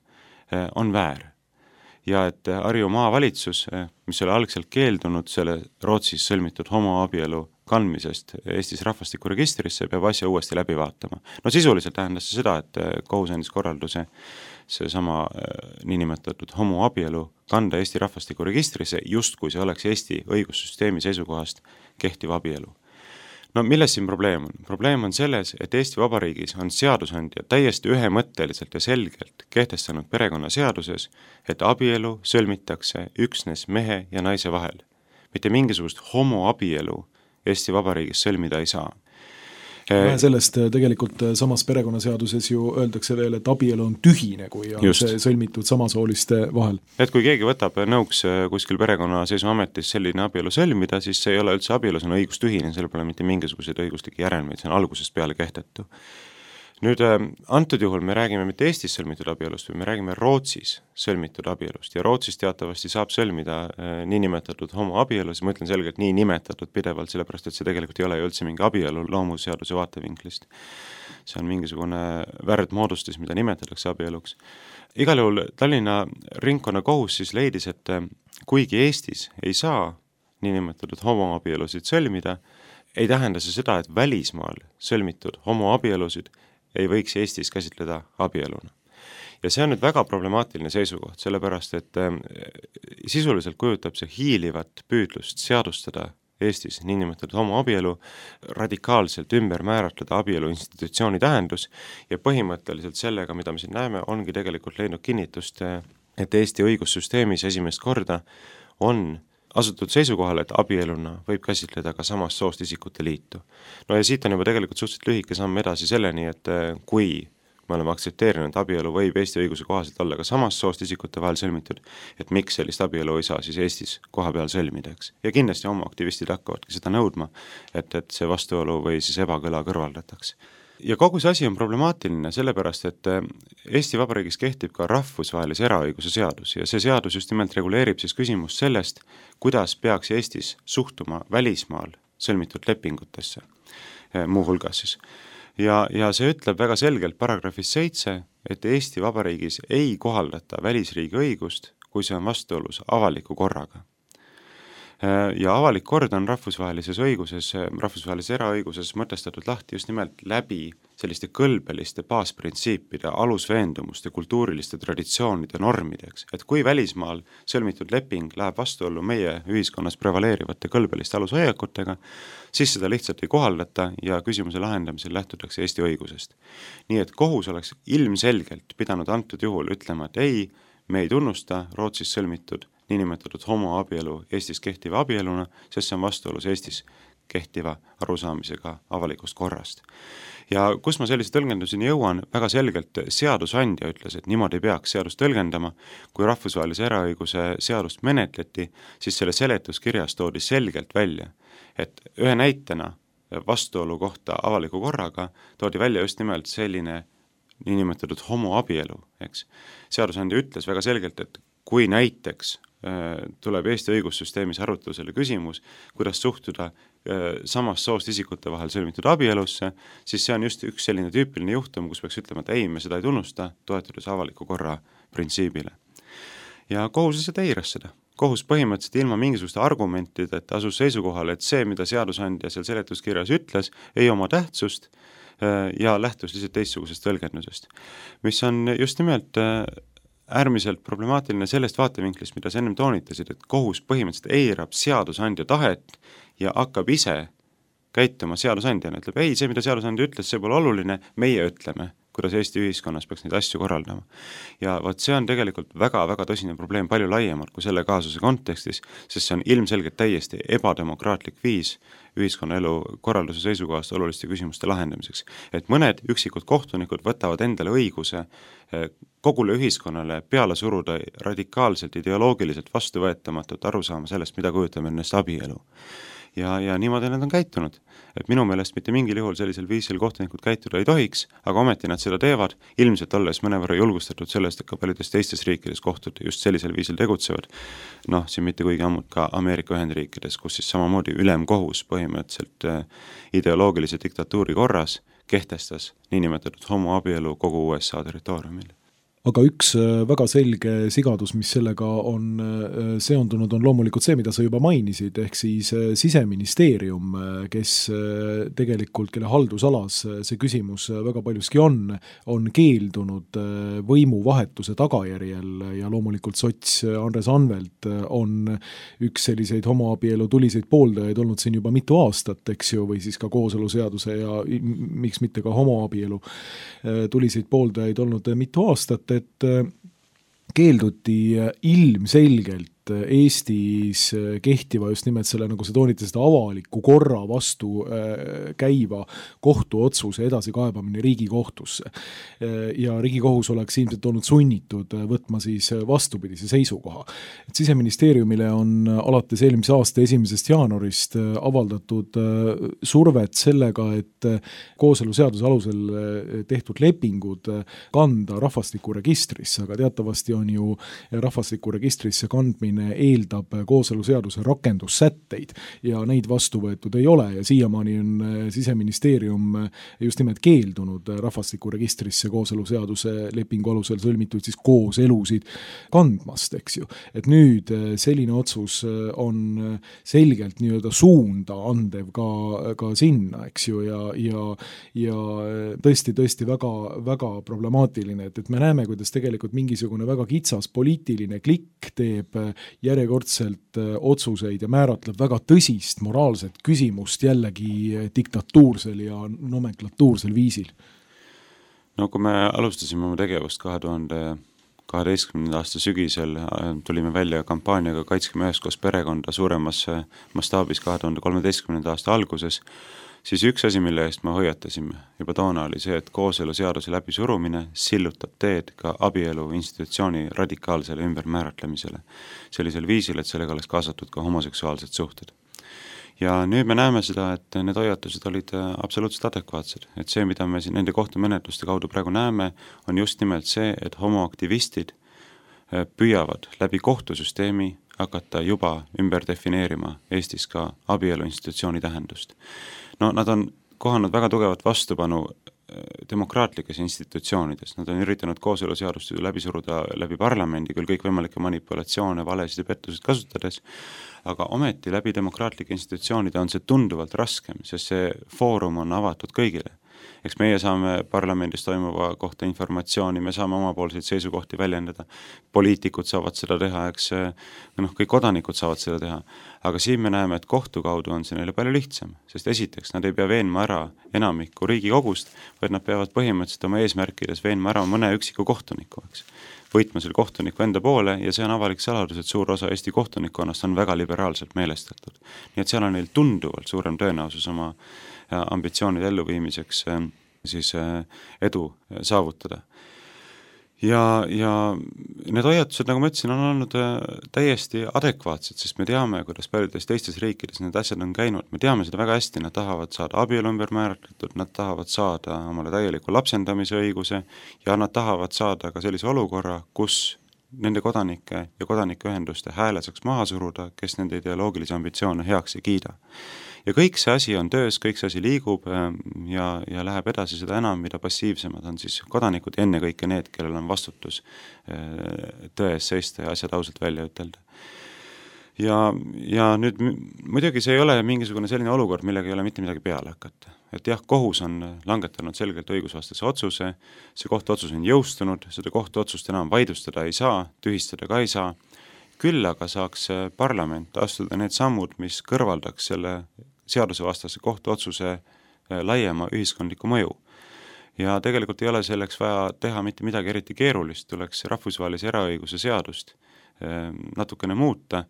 on väär. Ja et Harju maavalitsus, mis oli algselt keeldunud selle Rootsis sõlmitud homoabielu kandmisest Eestis rahvastikuregistrisse, peab asja uuesti läbi vaatama. No sisuliselt tähendas see seda, et kohus andis korralduse see sama niinimetatud homoabielu kanda Eesti rahvastikuregistrisse, just kui see oleks Eesti õigussüsteemi seisukohast kehtiv abielu. No milles siin probleem on? Probleem on selles, et Eesti Vabariigis on seadusandja täiesti ühemõtteliselt ja selgelt kehtestanud perekonnaseaduses, et abielu sõlmitakse üksnes mehe ja naise vahel. Mitte mingisugust homoabielu Eesti Vabariigis sõlmida ei saa. Vähe sellest tegelikult samas perekonnaseaduses ju öeldakse veel, et abielu on tühine, kui on Just. see sõlmitud samasooliste vahel. Et kui keegi võtab nõuks kuskil perekonnaseisuametis selline abielu sõlmida, siis see ei ole üldse abielu, see on õigustühine, selle pole mitte mingisuguseid õiguslikke järelmeid, see on algusest peale kehtetu. Nüüd, antud juhul me räägime mitte Eestis sõlmitud abielust, või me räägime Rootsis sõlmitud abielust ja Rootsis teatavasti saab sõlmida niinimetatud homoabielus, ma ütlen selgelt nii nimetatud pidevalt, sellepärast et see tegelikult ei ole ju üldse mingi abielu loomuseaduse vaatevinklist. See on mingisugune värdmoodustis, mida nimetatakse abieluks. Igal juhul Tallinna ringkonnakohus siis leidis, et kuigi Eestis ei saa niinimetatud homoabielusid sõlmida, ei tähenda see seda, et välismaal sõlmitud homoabielusid ei võiks Eestis käsitleda abieluna. Ja see on nüüd väga problemaatiline seisukoht, sellepärast et sisuliselt kujutab see hiilivat püüdlust seadustada Eestis niinimetatud homoabielu, radikaalselt ümber määratleda abielu institutsiooni tähendus ja põhimõtteliselt sellega, mida me siin näeme, ongi tegelikult leidnud kinnitust, et Eesti õigussüsteemis esimest korda on asutud seisukohale, et abieluna võib käsitleda ka samast soost isikute liitu. No ja siit on juba tegelikult suhteliselt lühike samm edasi selleni, et kui me oleme aktsepteerinud, et abielu võib Eesti õiguse kohaselt olla ka samast soost isikute vahel sõlmitud, et miks sellist abielu ei saa siis Eestis koha peal sõlmida, eks. Ja kindlasti homoaktivistid hakkavadki seda nõudma, et, et see vastuolu või siis ebakõla kõrvaldatakse. ja kogu see asi on problemaatiline, sellepärast et Eesti Vabariigis kehtib ka rahvusvahelise eraõiguse seadus ja see seadus just nimelt reguleerib siis küsimust sellest, kuidas peaks Eestis suhtuma välismaal sõlmitud lepingutesse, muuhulgas siis. Ja, ja see ütleb väga selgelt paragrahvis seitse, et Eesti Vabariigis ei kohaldata välisriigi õigust, kui see on vastuolus avaliku korraga. Ja avalik kord on rahvusvahelises õiguses, rahvusvahelises eraõiguses mõtestatud lahti just nimelt läbi selliste kõlbeliste baasprintsiipide, alusveendumuste, kultuuriliste traditsioonide normideks. Et kui välismaal sõlmitud leping läheb vastuollu meie ühiskonnas prevaleerivate kõlbeliste alushoiakutega, siis seda lihtsalt ei kohaldata ja küsimuse lahendamisel lähtutakse Eesti õigusest. Nii et kohus oleks ilmselgelt pidanud antud juhul ütlema, et ei, me ei tunnusta Rootsis sõlmitud niinimetatud homoabielu Eestis kehtiva abieluna, sest see on vastuolus Eestis kehtiva arusaamisega avalikust korrast. Ja kus ma sellise tõlgenduseni jõuan, väga selgelt seadusandja ütles, et niimoodi ei peaks seadust tõlgendama. Kui rahvusvahelise eraõiguse seadust menetleti, siis selle seletuskirjas toodi selgelt välja, et ühe näitena vastuolu kohta avaliku korraga toodi välja just nimelt selline niinimetatud homoabielu, eks. Seadusandja ütles väga selgelt, et kui näiteks tuleb Eesti õigussüsteemis arutlusele küsimus, kuidas suhtuda samast soost isikute vahel sõlmitud abielusse, siis see on just üks selline tüüpiline juhtum, kus peaks ütlema, et ei, me seda ei tunnusta, toetudes avaliku korra printsiibile. Ja kohus lihtsalt eiras seda. Kohus põhimõtteliselt ilma mingisuguste argumentideta asus seisukohale, et see, mida seadusandja seal seletuskirjas ütles, ei oma tähtsust ja lähtus lihtsalt teistsugusest tõlgendusest, mis on just nimelt äärmiselt problemaatiline sellest vaatevinklist, mida sa ennem toonitasid, et kohus põhimõtteliselt eirab seadusandja tahet ja hakkab ise käituma seadusandjana, ütleb, ei, see, mida seadusandja ütles, see pole oluline, meie ütleme, kuidas Eesti ühiskonnas peaks neid asju korraldama. Ja vaat see on tegelikult väga-väga tõsine probleem palju laiemalt kui selle kaasuse kontekstis, sest see on ilmselgelt täiesti ebademokraatlik viis ühiskonnaelu korralduse seisukohast oluliste küsimuste lahendamiseks. Et mõned üksikud kohtunikud võtavad endale õiguse kogule ühiskonnale peale suruda radikaalselt, ideoloogiliselt vastuvõetamatut arusaama sellest, mida kujutame ennast abielu. Ja, ja niimoodi nad on käitunud. Et minu meelest mitte mingil juhul sellisel viisil kohtunikud käituda ei tohiks, aga ometi nad seda teevad, ilmselt olles mõnevõrra julgustatud sellest, et ka paljudes teistes riikides kohtud just sellisel viisil tegutsevad. Noh, siin mitte kuigi ammut ka Ameerika Ühendriikides, kus siis samamoodi ülemkohus põhimõtteliselt ideoloogilise diktatuuri korras kehtestas niinimetatud homoabielu kogu U S A territooriumil. Aga üks väga selge sigadus, mis sellega on seondunud, on loomulikult see, mida sa juba mainisid, ehk siis Siseministeerium, kes tegelikult, kelle haldusalas see küsimus väga paljuski on, on keeldunud võimuvahetuse tagajärjel ja loomulikult sots Andres Anvelt on üks selliseid homoabielu tuliseid pooldajaid olnud siin juba mitu aastat, eks ju, või siis ka kooseluseaduse ja miks mitte ka homoabielu tuliseid pooldajaid olnud mitu aastat, et keelduti ilmselgelt Eestis kehtiva just nimelt selle, nagu see toonitas, seda avaliku korra vastu käiva kohtuotsuse edasikaebamine Riigikohtusse. Ja Riigikohus oleks ilmselt olnud sunnitud võtma siis vastupidise seisukoha. Et Siseministeeriumile on alates eelmise aasta esimesest jaanuarist avaldatud survet sellega, et kooseluseaduse alusel tehtud lepingud kanda rahvastikuregistrisse, aga teatavasti on ju rahvastikuregistrisse kandmine eeldab kooseluseaduse rakendussätteid ja neid vastu võetud ei ole ja siiamaani on Siseministeerium just nimelt keeldunud rahvastikuregistrisse kooseluseaduse lepingu alusel sõlmitud siis kooselusid kandmast, eks ju. Et nüüd selline otsus on selgelt nii-öelda suunda andev ka, ka sinna, eks ju, ja, ja, ja tõesti, tõesti väga, väga problemaatiline, et, et me näeme, kuidas tegelikult mingisugune väga kitsas poliitiline klikk teeb järjekordselt otsuseid ja määratleb väga tõsist moraalset küsimust jällegi diktatuursel ja nomenklatuursel viisil. No kui me alustasime oma tegevust kahe tuhande kaheteistkümnenda aasta sügisel, tulime välja kampaaniaga Kaitskeme üheskoos perekonda suuremas mastaabis kahe tuhande kolmeteistkümnenda aasta alguses, siis üks asi, mille eest me hoiatasime juba toona oli see, et kooseluseaduse läbi surumine sillutab teed ka abielu institutsiooni radikaalsele ümbermääratlemisele. Sellisel viisil, et sellega oleks kaasatud ka homoseksuaalsed suhted. ja nüüd me näeme seda, et need hoiatused olid absoluutselt adekvaatsed, et see, mida me siin nende kohtumenetluste kaudu praegu näeme, on just nimelt see, et homoaktivistid püüavad läbi kohtusüsteemi hakata juba ümber defineerima Eestis ka abielu institutsiooni tähendust. No nad on kohanud väga tugevat vastupanu demokraatlikes institutsioonides, nad on üritanud kooseluseadust läbi suruda läbi parlamendi, küll kõikvõimalikke manipulatsioone, valesid ja pettusid kasutades, aga ometi läbi demokraatlike institutsioonide on see tunduvalt raskem, sest see foorum on avatud kõigile. Eks meie saame parlamendis toimuva kohta informatsiooni, me saame omapoolseid seisukohti väljendada, poliitikud saavad seda teha, eks noh, kõik kodanikud saavad seda teha, aga siin me näeme, et kohtu kaudu on see neile palju lihtsam, sest esiteks nad ei pea veenma ära enamikku Riigikogust, vaid nad peavad põhimõtteliselt oma eesmärkides veenma ära mõne üksiku kohtuniku, eks. Võitma selle kohtuniku enda poole ja see on avalik saladus, et suur osa Eesti kohtunikkonnast on väga liberaalselt meelestatud. Nii et seal on neil tunduvalt suurem tõenäosus oma ambitsioonide elluviimiseks siis edu saavutada. Ja, ja need hoiatused, nagu ma ütlesin, on olnud täiesti adekvaatsed, sest me teame, kuidas paljudes teistes riikides need asjad on käinud, me teame seda väga hästi, nad tahavad saada abielu ümber määratletud, nad tahavad saada omale täieliku lapsendamise õiguse ja nad tahavad saada ka sellise olukorra, kus nende kodanike ja kodanikuühenduste hääle saaks maha suruda, kes nende ideoloogilisi ambitsioone heaks ei kiida. Ja kõik see asi on töös, kõik see asi liigub ja, ja läheb edasi seda enam, mida passiivsemad on siis kodanikud ja enne kõike need, kellel on vastutus tões seista ja asjad ausalt välja ütelda. Ja, ja nüüd muidugi see ei ole mingisugune selline olukord, millega ei ole mitte midagi peale hakata. Et jah, kohus on langetanud selgelt õigusvastase otsuse, see kohtuotsus on jõustunud, seda kohtuotsust enam vaidlustada ei saa, tühistada ka ei saa, küll aga saaks parlament astuda need sammud, mis kõrvaldaks selle seadusevastase kohtuotsuse laiema ühiskondliku mõju. Ja tegelikult ei ole selleks vaja teha mitte midagi eriti keerulist, tuleks rahvusvahelise eraõiguse seadust natukene muuta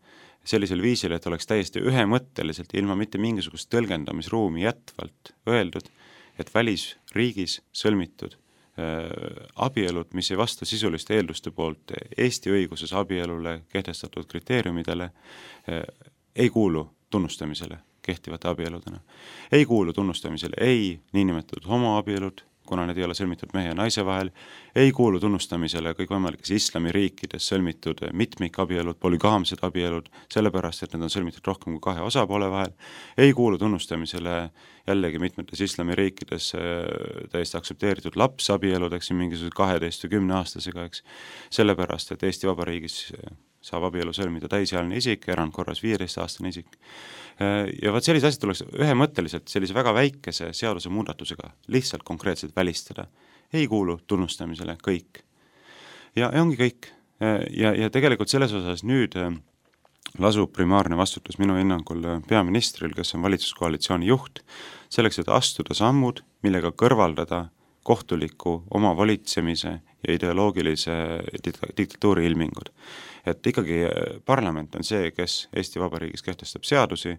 sellisel viisil, et oleks täiesti ühemõtteliselt ilma mitte mingisugust tõlgendamisruumi jätvalt öeldud, et välisriigis sõlmitud abielud, mis ei vasta sisuliste eelduste poolt Eesti õiguses abielule kehtestatud kriteeriumidele, ei kuulu tunnustamisele kehtivate abieludena. Ei kuulu tunnustamisele ei niinimetatud homoabielud, kuna need ei ole sõlmitud mehe ja naise vahel, ei kuulu tunnustamisele kõikvõimalikes islamiriikides sõlmitud mitmikabielud, polügaamsed abielud, sellepärast, et need on sõlmitud rohkem kui kahe osapoole vahel, ei kuulu tunnustamisele jällegi mitmetes islamiriikides täiesti aktsepteeritud lapsabielud, eks mingisuguse kaheteist või kümne aastasega, eks, sellepärast, et Eesti Vabariigis saab abielu sõlmida täisealine isik, erandkorras viieteistaastane isik. Ja vaat sellise asjad tuleks ühemõtteliselt sellise väga väikese seaduse muudatusega lihtsalt konkreetselt välistada. Ei kuulu tunnustamisele kõik. Ja, ja ongi kõik. Ja, ja tegelikult selles osas nüüd lasub primaarne vastutus minu hinnangul peaministril, kes on valitsuskoalitsiooni juht, selleks, et astuda sammud, millega kõrvaldada kohtuliku oma valitsemise ja ideoloogilise diktatuuri ilmingud. Et ikkagi parlament on see, kes Eesti Vabariigis kehtestab seadusi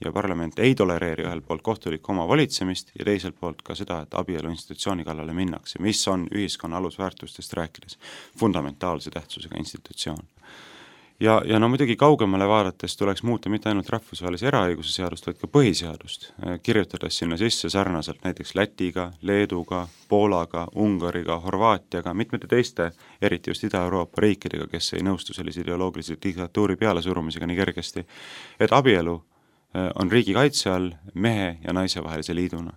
ja parlament ei tolereeri ühel poolt kohtulikku oma valitsemist ja teiselt poolt ka seda, et abielu institutsiooni kallale minnakse, mis on ühiskonna alusväärtustest rääkides fundamentaalse tähtsusega institutsioon. Ja, ja no muidugi kaugemale vaadates tuleks muuta mitte ainult rahvusvahelise eraõiguse seadust, vaid ka põhiseadust, kirjutades sinna sisse sarnaselt näiteks Lätiga, Leeduga, Poolaga, Ungariga, Horvaatiaga, mitmete teiste, eriti just Ida-Euroopa riikidega, kes ei nõustu sellise ideoloogilise diktatuuri pealesurumisega nii kergesti, et abielu on riigi kaitse all mehe ja naise vahelise liiduna.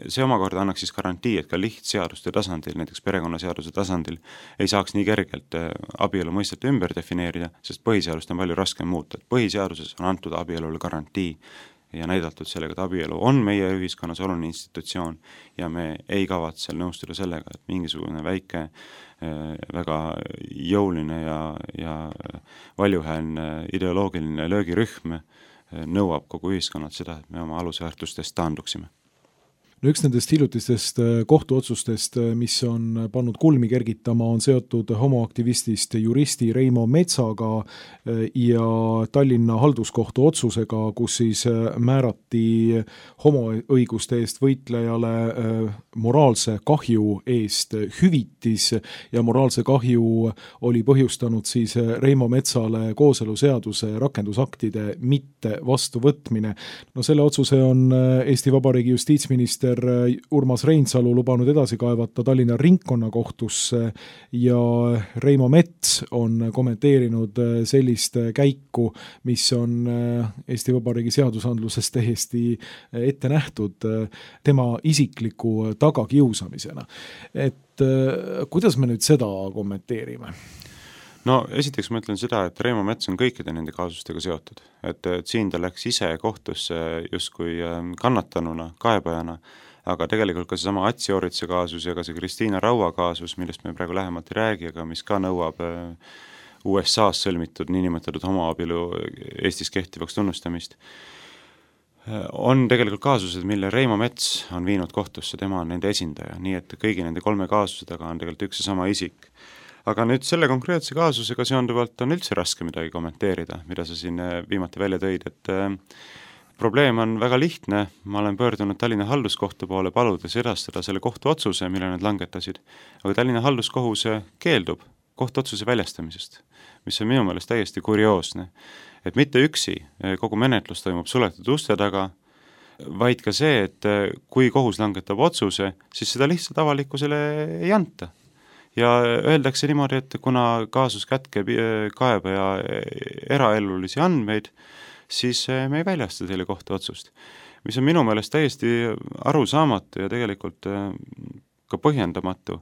See omakorda annaks siis garantii, et ka lihtseaduste tasandil, näiteks perekonnaseaduse tasandil, ei saaks nii kergelt abielu mõistet ümber defineerida, sest põhiseadust on palju raskem muuta. Põhiseaduses on antud abielule garantii ja näidatud sellega, et abielu on meie ühiskonnas oluline institutsioon ja me ei kavatse nõustuda sellega, et mingisugune väike, väga jõuline ja, ja valjuhäälne ideoloogiline löögirühm nõuab kogu ühiskonnalt seda, et me oma alusväärtustest taanduksime. no üks nendest hiljutistest kohtuotsustest, mis on pannud kulmi kergitama, on seotud homoaktivistist juristi Reimo Metsaga ja Tallinna halduskohtu otsusega, kus siis määrati homoõiguste eest võitlejale moraalse kahju eest hüvitis ja moraalse kahju oli põhjustanud siis Reimo Metsale kooseluseaduse rakendusaktide mitte vastuvõtmine. No selle otsuse on Eesti Vabariigi justiitsminister Urmas Reinsalu lubanud edasi kaevata Tallinna ringkonnakohtusse ja Reimo Mets on kommenteerinud sellist käiku, mis on Eesti Vabariigi seadusandluses täiesti ette nähtud tema isikliku tagakiusamisena. Et kuidas me nüüd seda kommenteerime? No esiteks ma ütlen seda, et Reimo Mets on kõikide nende kaasustega seotud. Et, et siin ta läks ise kohtusse justkui kannatanuna, kaebajana, aga tegelikult ka see sama Atsi Oritse kaasus ja ka see Kristiina Raua kaasus, millest me praegu lähemalt ei räägi, aga mis ka nõuab U S A-s sõlmitud niinimetatud homoabielu Eestis kehtivaks tunnustamist, on tegelikult kaasused, mille Reimo Mets on viinud kohtusse, tema on nende esindaja, nii et kõigi nende kolme kaasuse taga on tegelikult üks ja sama isik. Aga nüüd selle konkreetse kaasusega seonduvalt on üldse raske midagi kommenteerida, mida sa siin viimati välja tõid, et äh, probleem on väga lihtne, ma olen pöördunud Tallinna halduskohtu poole paludes edastada selle kohtuotsuse, mille nad langetasid, aga Tallinna halduskohus keeldub kohtuotsuse väljastamisest, mis on minu meelest täiesti kurioosne, et mitte üksi kogu menetlus toimub suletud uste taga, vaid ka see, et kui kohus langetab otsuse, siis seda lihtsalt avalikkusele ei anta. Ja öeldakse niimoodi, et kuna kaasus kätkeb kaebaja eraelulisi andmeid, siis me ei väljasta teile kohtuotsust, mis on minu meelest täiesti arusaamatu ja tegelikult ka põhjendamatu,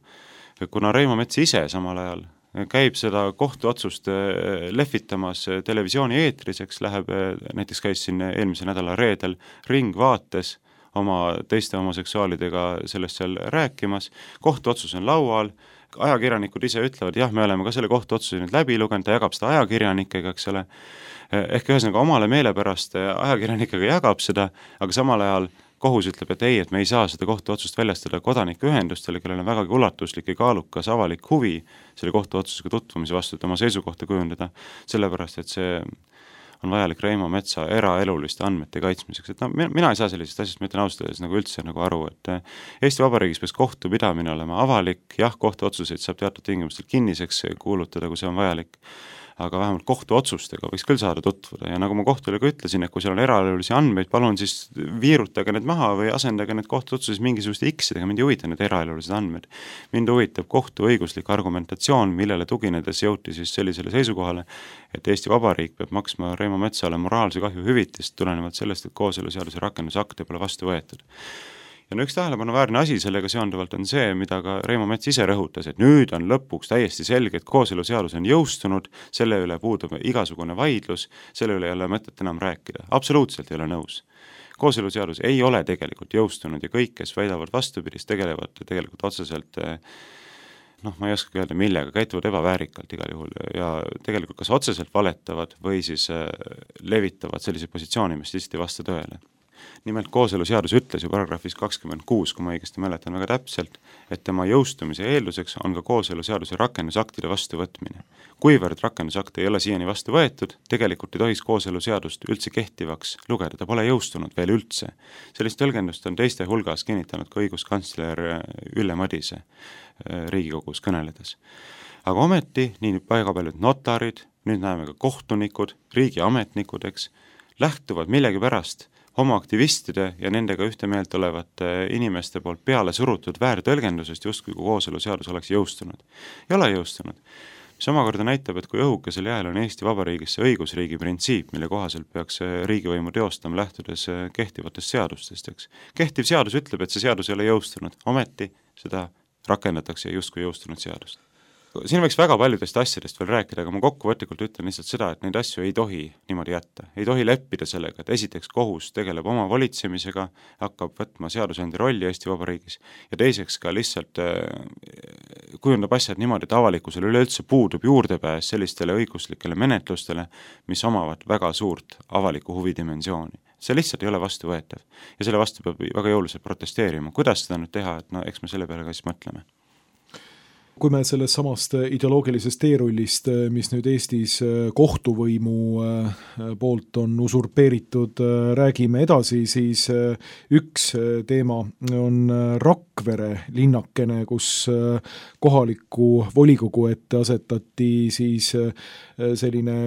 kuna Reimo Mets ise samal ajal käib seda kohtuotsust lehvitamas televisiooni eetriseks, läheb, näiteks käis siin eelmise nädala reedel Ringvaates oma teiste homoseksuaalidega sellest seal rääkimas, kohtuotsus on laual, ajakirjanikud ise ütlevad, jah, me oleme ka selle kohtuotsuse nüüd läbi lugenud, ta jagab seda ajakirjanikega, eks ole, ehk ühesõnaga omale meelepärast ajakirjanikega jagab seda, aga samal ajal kohus ütleb, et ei, et me ei saa seda kohtuotsust väljastada kodanikuühendustele, kellel on vägagi ulatuslik ja kaalukas avalik huvi selle kohtuotsusega tutvumise vastu, et oma seisukohta kujundada, sellepärast, et see on vajalik Reimo Metsa eraeluliste andmete kaitsmiseks. Et no, mina ei saa sellisest asjast, ma ütlen ausalt nagu üldse nagu aru, et Eesti Vabariigis peaks kohtupidamine olema avalik, jah, kohtuotsuseid saab teatud tingimustel kinniseks kuulutada, kui see on vajalik, aga vähemalt kohtuotsustega võiks küll saada tutvuda ja nagu ma kohtule ka ütlesin, et kui seal on eraelulisi andmeid, palun siis viirutage need maha või asendage need kohtuotsuses mingisuguste X-idega, mind ei huvita need eraelulised andmed. Mind huvitab kohtuõiguslik argumentatsioon, millele tuginedes jõuti siis sellisele seisukohale, et Eesti Vabariik peab maksma Reimo Metsale moraalse kahju hüvitist tulenevalt sellest, et kooseluseaduse rakendusakte pole vastu võetud. Ja no üks tähelepanuväärne asi sellega seonduvalt on see, mida ka Reimo Mets ise rõhutas, et nüüd on lõpuks täiesti selge, et kooseluseadus on jõustunud, selle üle puudub igasugune vaidlus, selle üle ei ole mõtet enam rääkida. Absoluutselt ei ole nõus. Kooseluseadus ei ole tegelikult jõustunud ja kõik, kes väidavad vastupidist, tegelevad tegelikult otseselt, noh, ma ei oska öelda millega, käituvad ebaväärikalt igal juhul ja tegelikult kas otseselt valetavad või siis levitavad sellise positsiooni, mis lihtsalt ei vasta tõele. Nimelt kooseluseadus ütles ju paragrahvis kakskümmend kuus, kui ma õigesti mäletan väga täpselt, et tema jõustumise eelduseks on ka kooseluseaduse rakendusaktide vastuvõtmine. Kuivõrd rakendusakte ei ole siiani vastu võetud, tegelikult ei tohiks kooseluseadust üldse kehtivaks lugeda, ta pole jõustunud veel üldse. Sellist tõlgendust on teiste hulgas kinnitanud ka õiguskantsler Ülle Madise Riigikogus kõneledes. Aga ometi nii väga paljud notarid, nüüd näeme ka kohtunikud, riigiametnikud, eks, lähtuvad millegi pärast homoaktivistide ja nendega ühte meelt olevate inimeste poolt peale surutud väärtõlgendusest justkui kooseluseadus oleks jõustunud. Ei ole jõustunud. Mis omakorda näitab, et kui õhukesel jääl on Eesti Vabariigis see õigusriigi printsiip, mille kohaselt peaks riigivõimu teostama lähtudes kehtivatest seadustest, eks. Kehtiv seadus ütleb, et see seadus ei ole jõustunud, ometi seda rakendatakse justkui jõustunud seadust. Siin võiks väga paljudest asjadest veel rääkida, aga ma kokkuvõtlikult ütlen lihtsalt seda, et neid asju ei tohi niimoodi jätta. Ei tohi leppida sellega, et esiteks kohus tegeleb oma valitsemisega, hakkab võtma seadusandja rolli Eesti Vabariigis ja teiseks ka lihtsalt kujundab asjad niimoodi, et avalikkusel üleüldse puudub juurdepääs sellistele õiguslikele menetlustele, mis omavad väga suurt avaliku huvidimensiooni. see lihtsalt ei ole vastuvõetav. Ja selle vastu peab väga jõuliselt protesteerima. Kuidas seda nüüd teha, et no eks me selle peale ka siis mõtleme. Kui me sellest samast ideoloogilisest teerullist, mis nüüd Eestis kohtuvõimu poolt on usurpeeritud, räägime edasi, siis üks teema on Rakvere linnakene, kus kohaliku volikogu ette asetati siis selline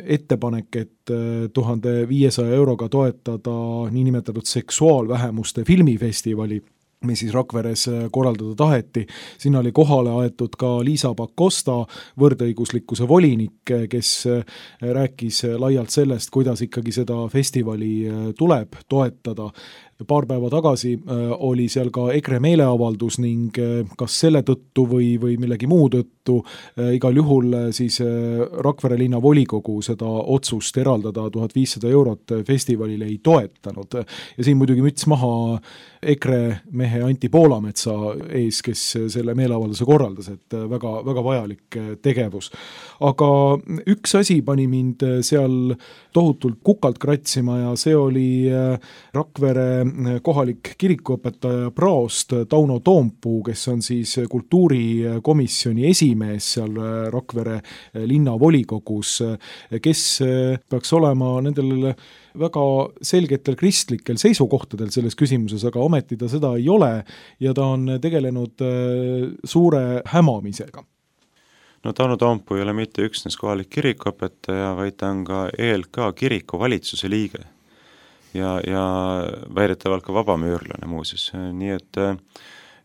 ettepanek, et tuhande viiesaja euroga toetada niinimetatud seksuaalvähemuste filmifestivali, mis siis Rakveres korraldada taheti. Sinna oli kohale aetud ka Liisa Pakosta, võrdõiguslikkuse volinik, kes rääkis laialt sellest, kuidas ikkagi seda festivali tuleb toetada. Paar päeva tagasi oli seal ka EKRE meeleavaldus ning kas selle tõttu või, või millegi muu tõttu igal juhul siis Rakvere linna volikogu seda otsust eraldada tuhat viissada eurot festivalile ei toetanud. Ja siin muidugi müts maha EKRE mehe Anti Poolametsa ees, kes selle meeleavalduse korraldas, et väga, väga vajalik tegevus. Aga üks asi pani mind seal tohutult kukalt kratsima ja see oli Rakvere kohalik kirikuõpetaja praost Tauno Toompuu, kes on siis kultuurikomisjoni esimees seal Rakvere linnavolikogus, kes peaks olema nendel väga selgetel kristlikel seisukohtadel selles küsimuses, aga ometi ta seda ei ole ja ta on tegelenud suure hämamisega. No Tauno Toompuu ei ole mitte üksnes kohalik kirikuõpetaja, vaid ta on ka E L K kiriku valitsuse liige ja, ja väidetavalt ka vabamüürlane muuseas. Nii et,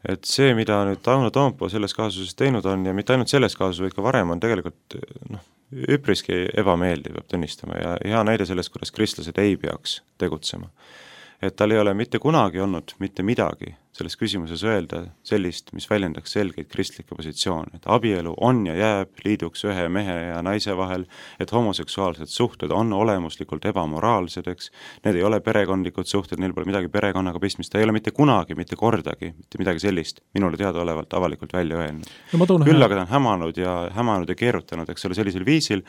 et see, mida nüüd Tauno Toompuu selles kaasuses teinud on ja mitte ainult selles kaasuses, vaid ka varem on tegelikult noh, üpriski ebameeldiv, peab tunnistama ja hea näide sellest, kuidas kristlased ei peaks tegutsema. Et tal ei ole mitte kunagi olnud mitte midagi selles küsimuses öelda sellist, mis väljendaks selgeid kristlikke positsioone, et abielu on ja jääb liiduks ühe mehe ja naise vahel, et homoseksuaalsed suhted on olemuslikult ebamoraalsed, eks, need ei ole perekondlikud suhted, neil pole midagi perekonnaga pistmist, ta ei ole mitte kunagi, mitte kordagi, mitte midagi sellist minule teadaolevalt avalikult välja öelnud. No, küll aga ta on hämanud ja, hämanud ja keerutanud, eks ole, sellisel viisil,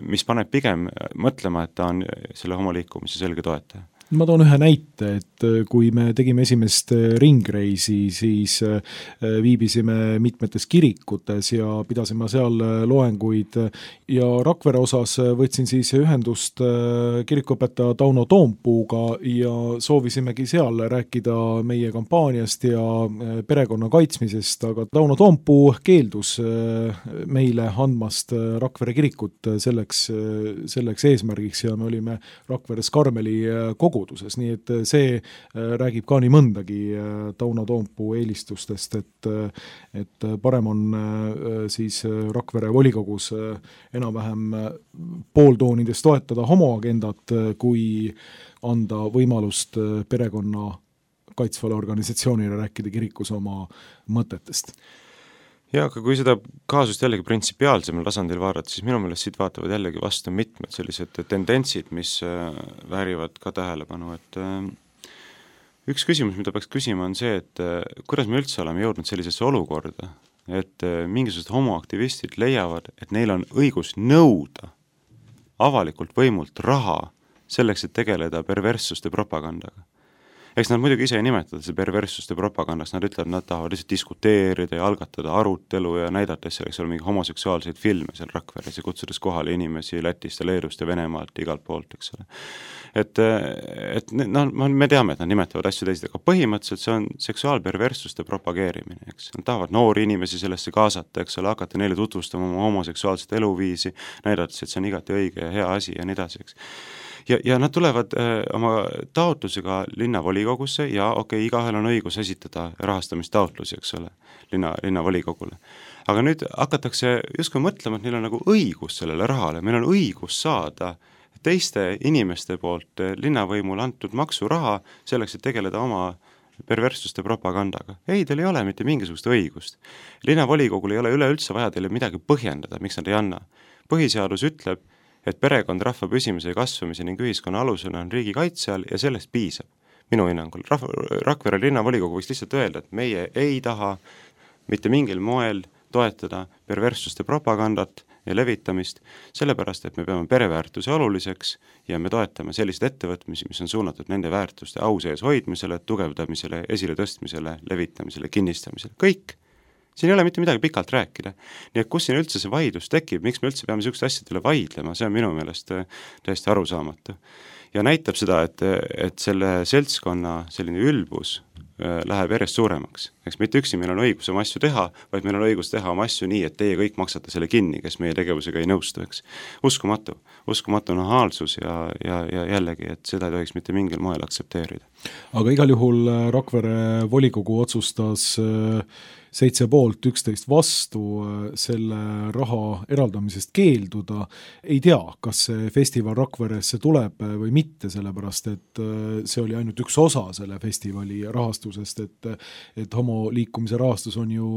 mis paneb pigem mõtlema, et ta on selle homoliikumise selge toetaja. Ma toon ühe näite, et kui me tegime esimest ringreisi, siis viibisime mitmetes kirikutes ja pidasime seal loenguid ja Rakvere osas võtsin siis ühendust kirikuõpetaja Tauno Toompuuga ja soovisimegi seal rääkida meie kampaaniast ja perekonna kaitsmisest, aga Tauno Toompuu keeldus meile andmast Rakvere kirikut selleks, selleks eesmärgiks ja me olime Rakveres Karmeli kogu koguduses, nii et see räägib ka nii mõndagi Tauno Toompuu eelistustest, et, et parem on siis Rakvere volikogus enam-vähem pooltoonides toetada homoagendat, kui anda võimalust perekonna kaitsvale organisatsioonile rääkida kirikus oma mõtetest. Ja, aga kui seda kaasust jällegi printsipiaalsemal tasandil vaadata, siis minu meelest siit vaatavad jällegi vastu mitmed sellised tendentsid, mis väärivad ka tähelepanu, et üks küsimus, mida peaks küsima, on see, et kuidas me üldse oleme jõudnud sellisesse olukorda, et mingisugused homoaktivistid leiavad, et neil on õigus nõuda avalikult võimult raha selleks, et tegeleda perverssuste propagandaga. Eks nad muidugi ise ei nimetada see perverssuste propagandaks, nad ütlevad, nad tahavad lihtsalt diskuteerida ja algatada arutelu ja näidates selleks ole mingi homoseksuaalseid filme seal Rakveres ja kutsudes kohale inimesi Lätist ja Leedust ja Venemaalt igalt poolt, eks ole. Et, et no, me teame, et nad nimetavad asju teised, aga põhimõtteliselt see on seksuaalperverssuste propageerimine, eks. Nad tahavad noori inimesi sellesse kaasata, eks ole, hakata neile tutvustama oma homoseksuaalset eluviisi, näidates, et see on igati õige ja hea asi ja nii edasi, eks. Ja, ja nad tulevad äh, oma taotlusega linnavolikogusse ja okei, okay, igahel on õigus esitada rahastamistaotlusi, eks ole, linna, linnavolikogule. Aga nüüd hakatakse justkui mõtlema, et neil on nagu õigus sellele rahale, meil on õigus saada teiste inimeste poolt linnavõimule antud maksuraha selleks, et tegeleda oma perverssuste propagandaga. Ei, teil ei ole mitte mingisugust õigust. Linnavolikogul ei ole üleüldse vaja teile midagi põhjendada, miks nad ei anna. Põhiseadus ütleb, et perekond rahva püsimise ja kasvamise ning ühiskonna alusena on riigi kaitse all ja sellest piisab. Minu hinnangul Rahva, Rakvere linnavolikogu võiks lihtsalt öelda, et meie ei taha mitte mingil moel toetada perverssuste propagandat ja levitamist, sellepärast, et me peame pereväärtuse oluliseks ja me toetame selliseid ettevõtmisi, mis on suunatud nende väärtuste au sees hoidmisele, tugevdamisele, esile tõstmisele, levitamisele, kinnistamisele, kõik. Siin ei ole mitte midagi pikalt rääkida. Nii et kus siin üldse see vaidlus tekib, miks me üldse peame niisugust asjadele vaidlema, see on minu meelest täiesti arusaamatu. Ja näitab seda, et, et selle seltskonna selline ülbus läheb järjest suuremaks. Eks mitte üksi meil on õigus oma asju teha, vaid meil on õigus teha oma asju nii, et teie kõik maksate selle kinni, kes meie tegevusega ei nõustu, eks. Uskumatu, uskumatu nahaalsus ja, ja, ja jällegi, et seda ei tohiks mitte mingil moel aksepteerida. Aga igal juhul Rakvere volikogu otsustas seitse poolt, üksteist vastu selle raha eraldamisest keelduda. Ei tea, kas see festival Rakveresse tuleb või mitte, sellepärast et see oli ainult üks osa selle festivali rahastusest, et, et homoliikumise rahastus on ju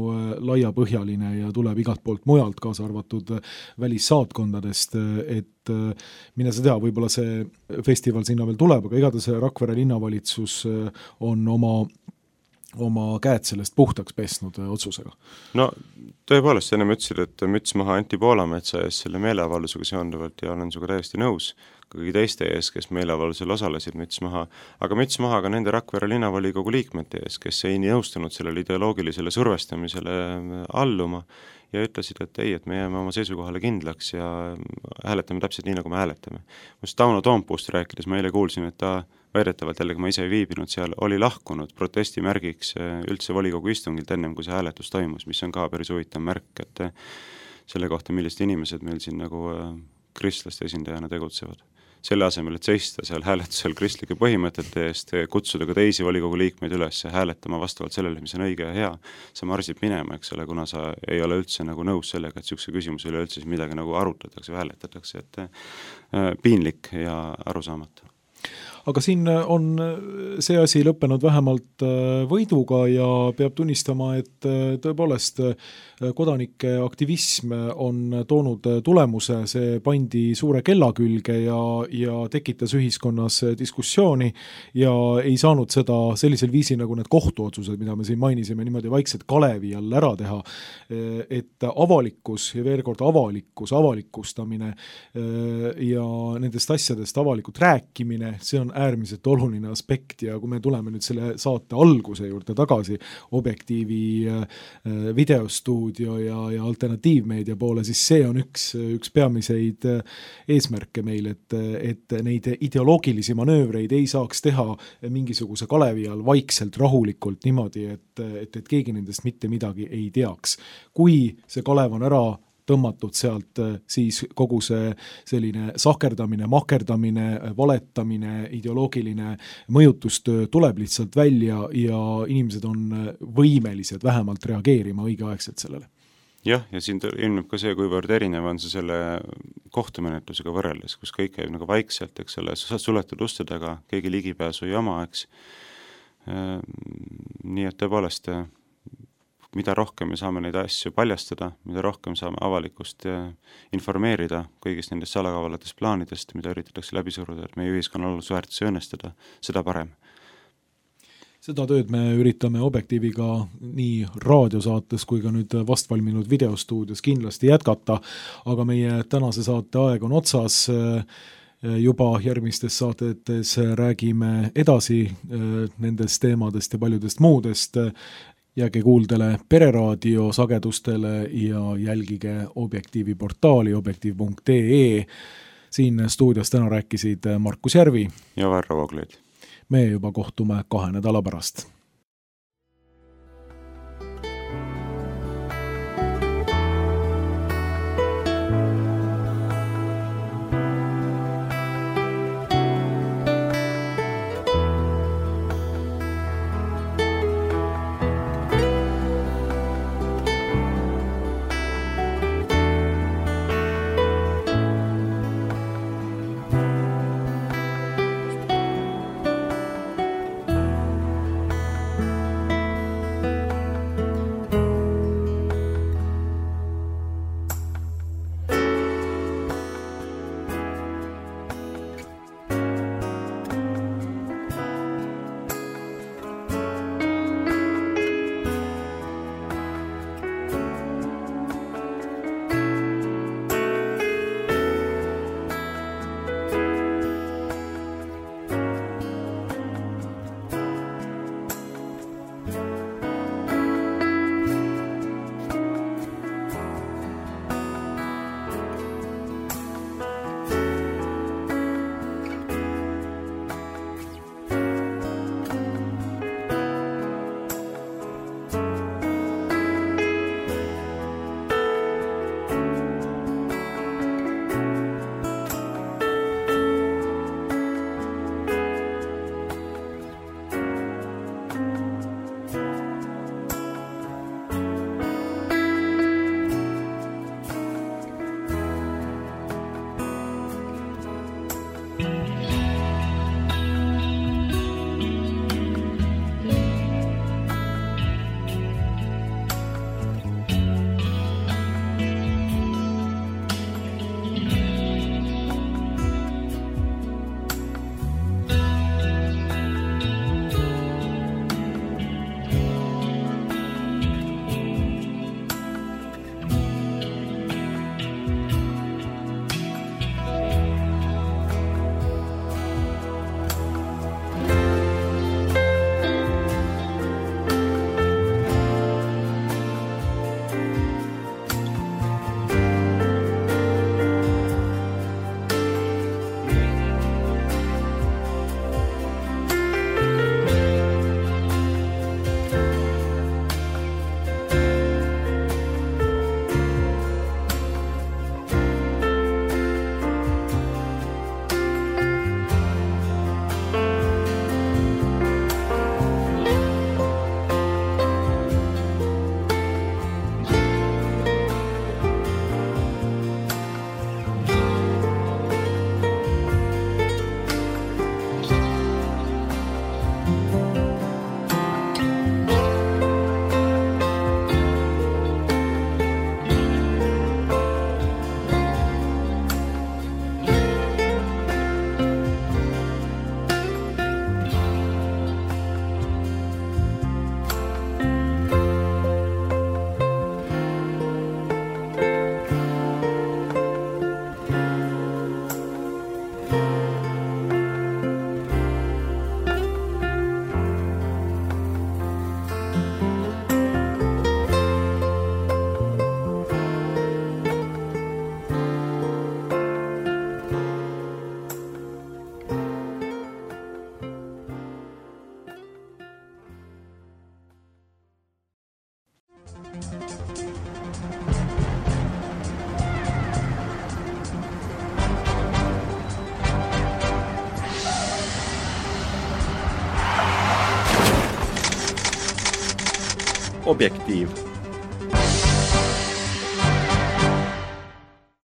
laiapõhjaline ja tuleb igalt poolt mujalt, kaasa arvatud välissaatkondadest, et mine sa tea, võib-olla see festival sinna veel tuleb, aga igatahes Rakvere linnavalitsus on oma oma käed sellest puhtaks pesnud otsusega. No tõepoolest, ennem ütlesid, et müts maha Anti Poolametsa ees selle meeleavaldusega seonduvalt ja olen sinuga täiesti nõus, kõigi teiste ees, kes meeleavaldusel osalesid, müts maha, aga müts maha ka nende Rakvere linnavolikogu liikmete ees, kes ei nõustunud sellele ideoloogilisele survestamisele alluma ja ütlesid, et ei, et me jääme oma seisukohale kindlaks ja hääletame täpselt nii, nagu me hääletame. Must Tauno Toompuust rääkides ma eile kuulsin, et ta väidetavalt jällegi ma ise ei viibinud seal, oli lahkunud protestimärgiks üldse volikogu istungilt ennem, kui see hääletus toimus, mis on ka päris huvitav märk, et selle kohta, millised inimesed meil siin nagu kristlaste esindajana tegutsevad. Selle asemel, et seista seal hääletusel kristlike põhimõtete eest, kutsuda ka teisi volikogu liikmeid üles hääletama vastavalt sellele, mis on õige ja hea, sa marsid minema, eks ole, kuna sa ei ole üldse nagu nõus sellega, et niisuguse küsimuse üle üldse midagi nagu arutatakse või hääletatakse, et äh, piinlik ja arusaamatu. Aga siin on see asi lõppenud vähemalt võiduga ja peab tunnistama, et tõepoolest kodanike aktivism on toonud tulemuse, see pandi suure kella külge ja, ja tekitas ühiskonnas diskussiooni ja ei saanud seda sellisel viisil nagu need kohtuotsused, mida me siin mainisime, niimoodi vaikselt kalevi all ära teha, et avalikkus ja veel kord avalikkus, avalikustamine ja nendest asjadest avalikult rääkimine, see on äärmiselt oluline aspekt ja kui me tuleme nüüd selle saate alguse juurde tagasi Objektiivi videostuudio ja, ja alternatiivmeedia poole, siis see on üks, üks peamiseid eesmärke meil, et, et neid ideoloogilisi manöövreid ei saaks teha mingisuguse kalevi all vaikselt, rahulikult niimoodi, et, et, et keegi nendest mitte midagi ei teaks. Kui see kalev on ära tõmmatud sealt, siis kogu see selline sahkerdamine, mahkerdamine, valetamine, ideoloogiline mõjutustöö tuleb lihtsalt välja ja inimesed on võimelised vähemalt reageerima õigeaegselt sellele. Jah, ja siin ilmneb ka see, kuivõrd erinev on see selle kohtumenetlusega võrreldes, kus kõik käib nagu vaikselt, eks selle suletud uste taga, keegi ligipääsu ei oma, eks. Nii et tõepoolest mida rohkem me saame neid asju paljastada, mida rohkem saame avalikkust informeerida kõigist nendest salakavalatest plaanidest, mida üritatakse läbi suruda, et meie ühiskonna alusväärtusi õnnestada, seda parem. Seda tööd me üritame Objektiiviga nii raadiosaates kui ka nüüd vastvalminud videostuudios kindlasti jätkata, aga meie tänase saate aeg on otsas. Juba järgmistes saatetes räägime edasi nendest teemadest ja paljudest muudest. Jääge kuuldele Pereraadio sagedustele ja jälgige Objektiivi portaali objektiiv punkt ee. Siin stuudios täna rääkisid Markus Järvi ja Varro Vooglaid. Me juba kohtume kahe nädala pärast. Objektiiv